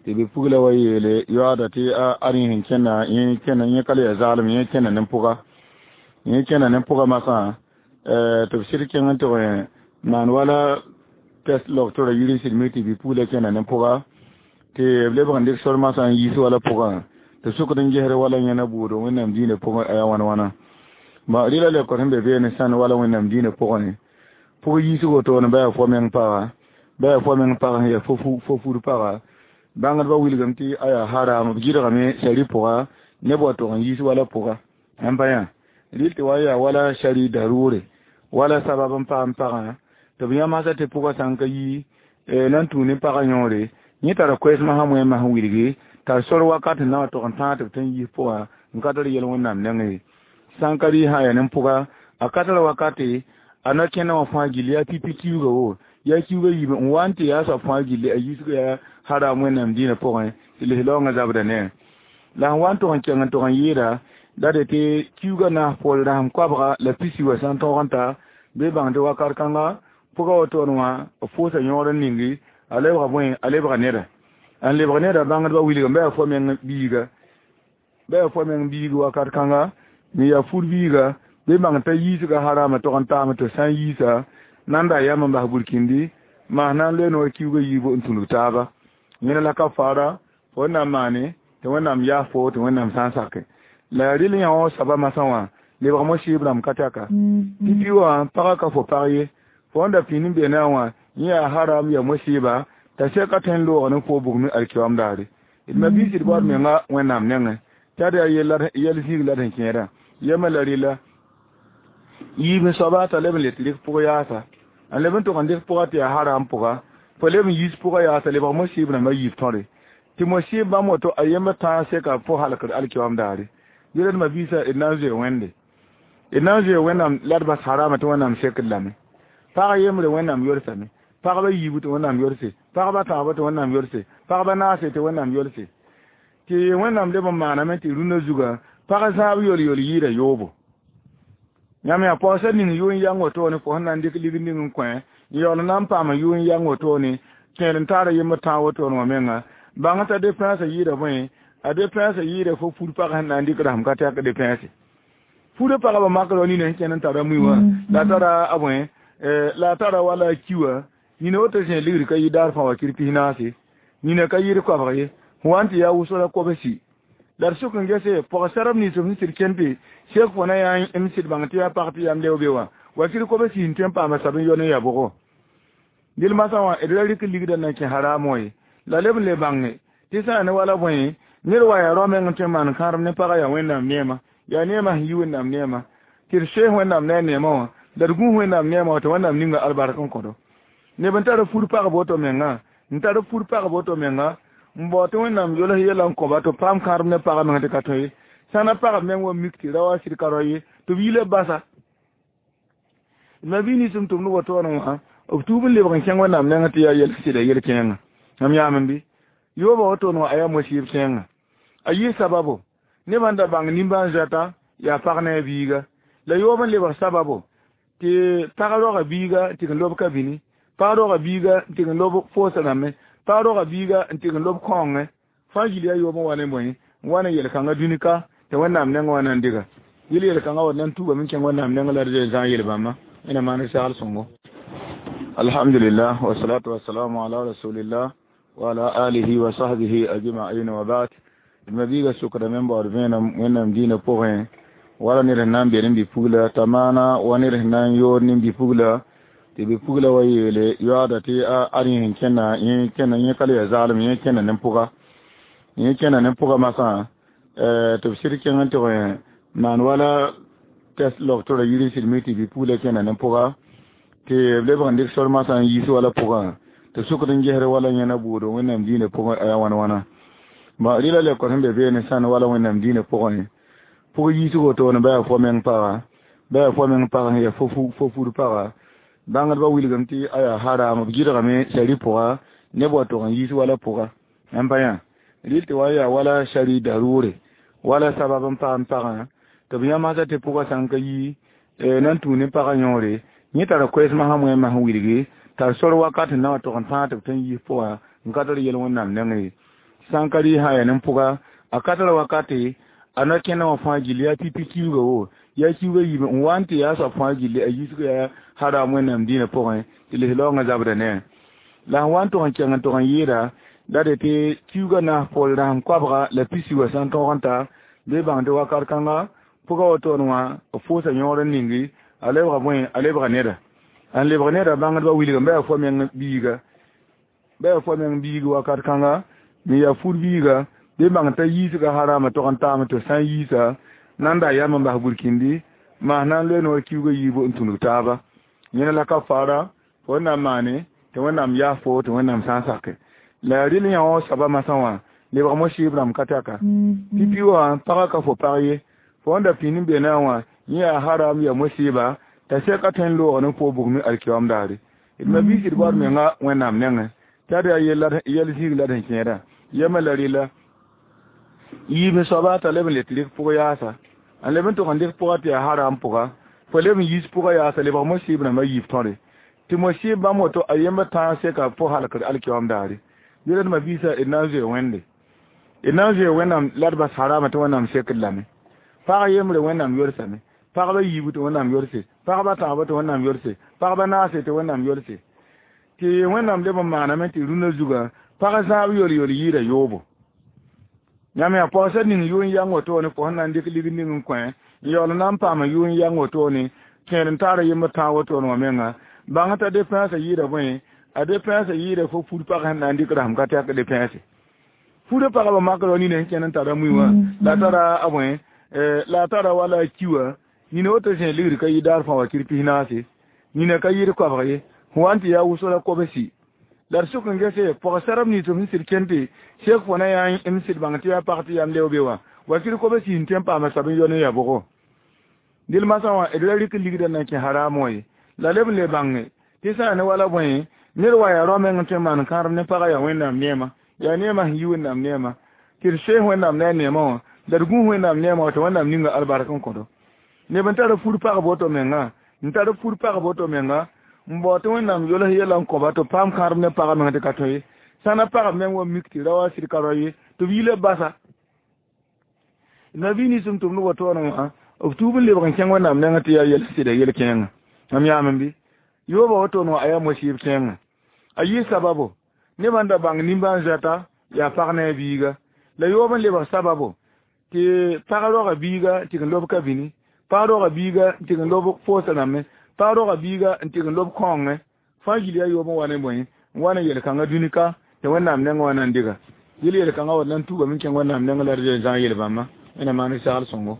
tɩ bi-pugla wa yeele yoaada tɩ a ad yẽ sẽn kẽna yẽ kẽna yẽ ka le yaa zaalem yẽ kẽna ne pʋga yẽ kẽna ne pʋga masã tɩ b sɩd kẽng n tɩg maan wala test logtora yir n sɩd mi tɩ bi-pugla kẽna ne pʋga tɩ b lebg n dɩk sor masã n yiis wala pʋgã tɩ sʋkd n gesd wala yẽna buudo wẽnnaam dĩinã pʋgẽ a yaa wãn wãna ma rɩla lekor sẽn be beene sãn wala wẽnnaam dĩinã pʋgẽ pʋg yiisg wotone ba yaa fo meng paga ba yaa fo meng pag sẽn yaa fo fur paga bãngdbã wilgame tɩ a yaa haram b gɩdgame sari pʋga neb wa tog n yiis wala pʋga n pa yã rɩl tɩ wa yaa wala sari darʋʋre wala sabab n paam pagã tɩ b yãmsã tɩ pʋgã sã n ka yi na n tũ ne pagã yõore yẽ tara koɛɛsmã sã wẽemã sẽn wilgi t'a sor wakat n na wa tog n tãag tɩ b tõe n yiis pʋga n ka tar yel wẽnnaam nengẽ ye sã n ka rɩ sã yaa ne pʋga a ka tar wakate a na kẽna wã fãa gilli yaa pipi kiuga wo yaa kiuga yiime n wa n tɩ yaa soab fãa gilli a yiisga yaa haram wẽnnaam dĩinã pʋgẽ tɩ lis-laoongã zabda ne la sẽn wa n tog n kẽng n tog n yɩɩda la de tɩ kiuga naas poor rasem koabga la pisi wa sã n tõog n ta bɩ bãng tɩ wakat kãnga pʋga wotone wã b pʋʋsa yõor n ningi a lebga bõe a lebga neda n lebg neda bãngdbã wilgame ba yaa fo meng biiga ba yaa fo meng biig wakat kãnga n yaa fur biiga bɩ bãng t'a yiisga harama tog n taame tɩ sã n yiisa nan da yam n bas burkindi maas na n loe noor kiuga yiibu n tũnug taaba yẽna la ka fara fo na n maane tɩ wẽnnaam yaas fo tɩ wẽnnaam sã n sake la rɩl yã wã soaba masã wã lebg mo-sɩɩb rãmb ka taka tɩ pi wã pagã ka fo pag ye fo n da pĩnd n be ne a wã yẽ yaa haram yaa mo-sɩɩba t'a sɛka tõe n loog ne fo bugmi alkiyoam daare d ma biis d baood menga wẽnnaam nengẽ t'a d yaa yɛl zĩig la d sẽn kẽedã yema la rɩla yiib soaba t'a leb n le tɩ rɩk pʋg yaasa n leb n tog n dɩk pʋga tɩ yaa haram pʋga fo leb n yiis pʋga yaasa lebg mo-sɩɩb rãmbã yiib tõre tɩ mo-sɩɩb bãmb woto a yembr tãag sɛka fo halkd alkiyoam daare yẽla d ma biisã d na n zoe wẽnde d na n zoe wẽnnaam la d bas harama tɩ wẽnnaam sekd lame pag yembre wẽnnaam yolsame pagba yiibu tɩ wẽnnaam yolse pagba tãagba tɩ wẽnnaam yolse pagba naase tɩ wẽnnaam yolse tɩ wẽnnaam leb n maaname tɩ rũnã zugã pag zãab yol-yol yɩɩda yoobo yãmb yaa paoosã ning yʋ n yang wotone fo sẽn na n dɩk ligd ning n kõ n yaool n na n paam yʋ n yang wotone kẽer n taara yembr tãag wotone wã menga bãng t'a depẽnsã yɩɩda bõe a depẽnsã yɩɩda fo fur pag sẽn na n dɩk rasem ka tɛk depẽnse furã pagba makr wa nina sẽn kẽnd n tara mui wã la tara a bõe la tara wala ki wã nina woto zẽ ligd ka yɩ daar fãa wa kir pis naase nina ka yɩɩd koabg ye sẽn wa n tɩ yaa wʋsgra kobsi la d sʋk n gese pɔg-sɛrb nins b sẽn sɩd kẽnd tɩ sek fo na yaa m sɩd bãng tɩ yaa pag tɩ yam leo be wã wa kir kobsi n tõe n paama sab n yɔ ne ya bʋgo dɩl masã wã d ra rɩk ligdã na kẽ haram ye la leb n le bãnge tɩ sã ne wala bõe ned wa yaa rao meng n tõe n maan kãadem ne pagã yaa wẽnnaam neema yaa neemã sẽn yi wẽnnaam neema tɩ d soes wẽnnaam ne a neemã wã la d gũus wẽnnaam neemã wã tɩ wẽnnaam ninga albark n kõdo neb n tar fur pagb woto menga n tar fur pagb woto menga n bao tɩ wẽnnaam yols yɛla n kõba tɩ b paam kãadem ne pagã meng tɩ ka tõe ye sã na pagb meng wa mik tɩ ra wa sɩd ka rao ye tɩ b yila basa ma bɩ nins m tʋmd wotoone wã b tuub n lebg n kẽng wẽnnaam nengẽ tɩ yaa yɛl sɩda yel-kẽengã mam yaam n bɩ yooba wotone wã a yaa mo-sɩɩb kẽengã a yɩ sababo nebã n da bãng nimbãan-zoɛta yaa pag ne a biiga la yoob n lebg sababo tɩ pag roga biiga n tɩg n lob ka bini pag roga biiga n tɩg n lob foosã rãmbe pag roga biiga n tɩg n lob kõongẽ fãa gil yaa yoob n wa ne bõe n wa ne yel-kãngã dũni-ka tɩ wẽnnaam nengẽ wã na n dɩga yel yel-kãngã wa na n tuubame n kẽng wẽnnaam nengẽ la d zã yel bãmba ẽna maan sagl sõngo. Alhamdulillah wasalatu wasalamu ala rasulillah wa ala alihi wa sahbihi ajma'in wa ba'd. Ma biiga sʋkdame n baood vẽenem wẽnnaam dĩinã pʋgẽ wala ned sẽn na n be ne bi-pugla t'a maana wa ned sẽn na n yood ne bi-pugla tɩ bi-pugla wa yeele yoaada tɩ a ad yẽ sẽn kẽna yẽ kẽna yẽ ka le yaa zaalem yẽ kẽna ne pʋga yẽ kẽna ne pʋga masã tɩ b sɩd kẽng n tɩg maan wala test logtora yir n sɩd mi tɩ bi-pugla kẽna ne pʋga tɩ b lebg n dɩk sor masã n yiis wala pʋgã tɩ sʋkd n gesd wala yẽna buudo wẽnnaam dĩinã pʋgẽ a yaa wãn wãna ma rɩla lekor sẽn be beene sãn wala wẽnnaam dĩinã pʋgẽ Pʋg yiisgo toone ba yaa fo meng paga, ba yaa fo meng pag sẽn yaa fo fur paga. Bãngdbã wilgame tɩ a yaa haram, b gɩdgame sari pʋga neb wa tog n yiis wala pʋga. N pa yã rɩl tɩ wa yaa wala sari darʋʋre, wala sabab n paam pagã tɩ b yãmsda tɩ pʋgã sã n ka yi na n tũu ne pagã yõore, yẽ tara koɛɛs masã wẽ masã wilgi tar sor wakat n na wa tog n tãag tɩ b tõe n yiis pʋga n ka tar yel Wẽnnaam nengẽ ye. Sã n ka rɩ sã yaa ne pʋga a ka tara wakate a na kẽna wã fãa gilli yaa pipi kiuga wo yaa kiuga yiime n wa n tɩ yaa soab fãa gilli a yiisg yaa haram Wẽnnaam dĩinã pʋgẽ tɩ lis-laoongã zabda ne la sẽn wa n tog n kẽng n tog n yɩɩda la de tɩ kiuga naas pol rasem koabga la pisi wã sã n tõog n ta bɩ bãng tɩ wakat kãnga pʋga wotone wã b fʋʋsa yõor n ningi a lebga bõe a lebga neda n lebg neda bãngdbã wilgame ba yaa fo meng biiga ba yaa fo meng biig wakat kãnga me yaa fur biiga bɩ bãng t'a yiisga harama tog n taame tɩ sã n yiisa nan da yam n bas burkindi maas na n loe noor kiuga yiibu n tũnug taaba yẽna la kafara fo na n maane tɩ Wẽnnaam yaas fo tɩ Wẽnnaam sã n sake la rɩl yã wã soaba masã wã lebg mosɩɩb rãmb ka taka pipi wã pagã ka fo pag ye fo n da pĩnd n be na wã yẽ yaa haram yaa mosɩɩba t'a sɛka tõe n loog ne fo bugme alkiyoam daare d ma biis d baood menga Wẽnnaam nengẽ t'a d yaa yɛl zĩig la d sẽn kẽeda yɛmã la rɩla yiib soaba t'a leb n le tɩ rɩk pʋg yaasa n leb n tog n dɩk pʋga tɩ yaa haram pʋga fo leb n yiis pʋga yaasa lebg mosɩɩb rãmbã yiib tõre tɩ mosɩɩb bãmb woto a yembr tãag sɛka fo halkd alkiyoam daare yẽla d ma biisa d na n zoe Wẽnde d na n zoe Wẽnnaam la d bas harama tɩ Wẽnnaam sekd lame pag yembre Wẽnnaam yorsame pagba yiibu tɩ Wẽnnaam yorse pagba tãabã tɩ Wẽnnaam yorse pagba naase tɩ Wẽnnaam yorse tɩ Wẽnnaam leb n maaname tɩ rũnã zuga pag zãab yol-yol yɩɩda yoobo yãmb yaa paoosã ning yʋʋn yang wotone fo sẽn na n dɩk lig ning n kõ n yaool na n paam yʋʋn yang wotone kẽer n taara yembr tãag wotone wã menga bãng t'a depẽnsã yɩɩda bõe a depẽnsã yɩɩda fo fur pag sẽn na n dɩk rasem ka tɛk depẽnse furã pagba makr wa nina sẽn kẽnd n tara mui wã la tara a bõe la tara wala a ki wã nina woto zẽ ligd ka yɩ daar fãa wakir pis naase nina ka yɩɩd koabg ye sẽn wa n tɩ yaa wʋsg la kobsi la d sʋk n gese pɔg-sarb nins b sẽn sɩd kẽnd tɩ sek fo na yaa m sɩd bãng tɩ yaa pag tɩ yam leo be wã wakir kobsi n tõe n paama soab n yɔ ne ya bʋgo dɩl masã wã d ra rɩk ligdã na n kẽ haram wã ye la leb n le bãnge tɩ sã ne wala bõe ned wa yaa rao meng n tõe n maan kãadem ne pagã yaa Wẽnnaam neema yaa neemã sẽn yi Wẽnnaam neema tɩ d soes Wẽnnaam ne a neemã wã la d gũus Wẽnnaam neemã wã tɩ Wẽnnaam ninga albark n kõdo neb n tar fur pagb woto menga n tar fur pagb woto menga n bao tɩ Wẽnnaam yols yɛla n kõba tɩ b paam kãadem ne pagã meng tɩ ka tõe ye sã na pagb meng wa mik tɩ ra wa sɩd ka rao ye tɩ b yila basa nabi nins n tʋmd wotoone wã b tuub n lebg n kẽng Wẽnnaam nengẽ tɩ yaa yɛl sɩda yel-kẽengã mam yaam bɩ yooba wotone wã a yaa mosɩɩb kẽengã a yɩ sababo nebã n da bãng nimbãan-zoɛta yaa pag ne a biiga la yoob n lebg sababo tɩ pag roga biiga tɩg n lob ka bĩni pag roga biiga n tɩg n lob foosã rãmbẽ pag roga biiga n tɩg n lob kõongẽ fãa gil yaa yoob n wa ne bõe n wa ne yel-kãngã dũni-ka tɩ Wẽnnaam nengẽ wã na n dɩga yel yel-kãngã wa na n tuugame n kẽng Wẽnnaam nengẽ la d zãag yel-bãmbã Wẽnnaam maan sagl sõngo.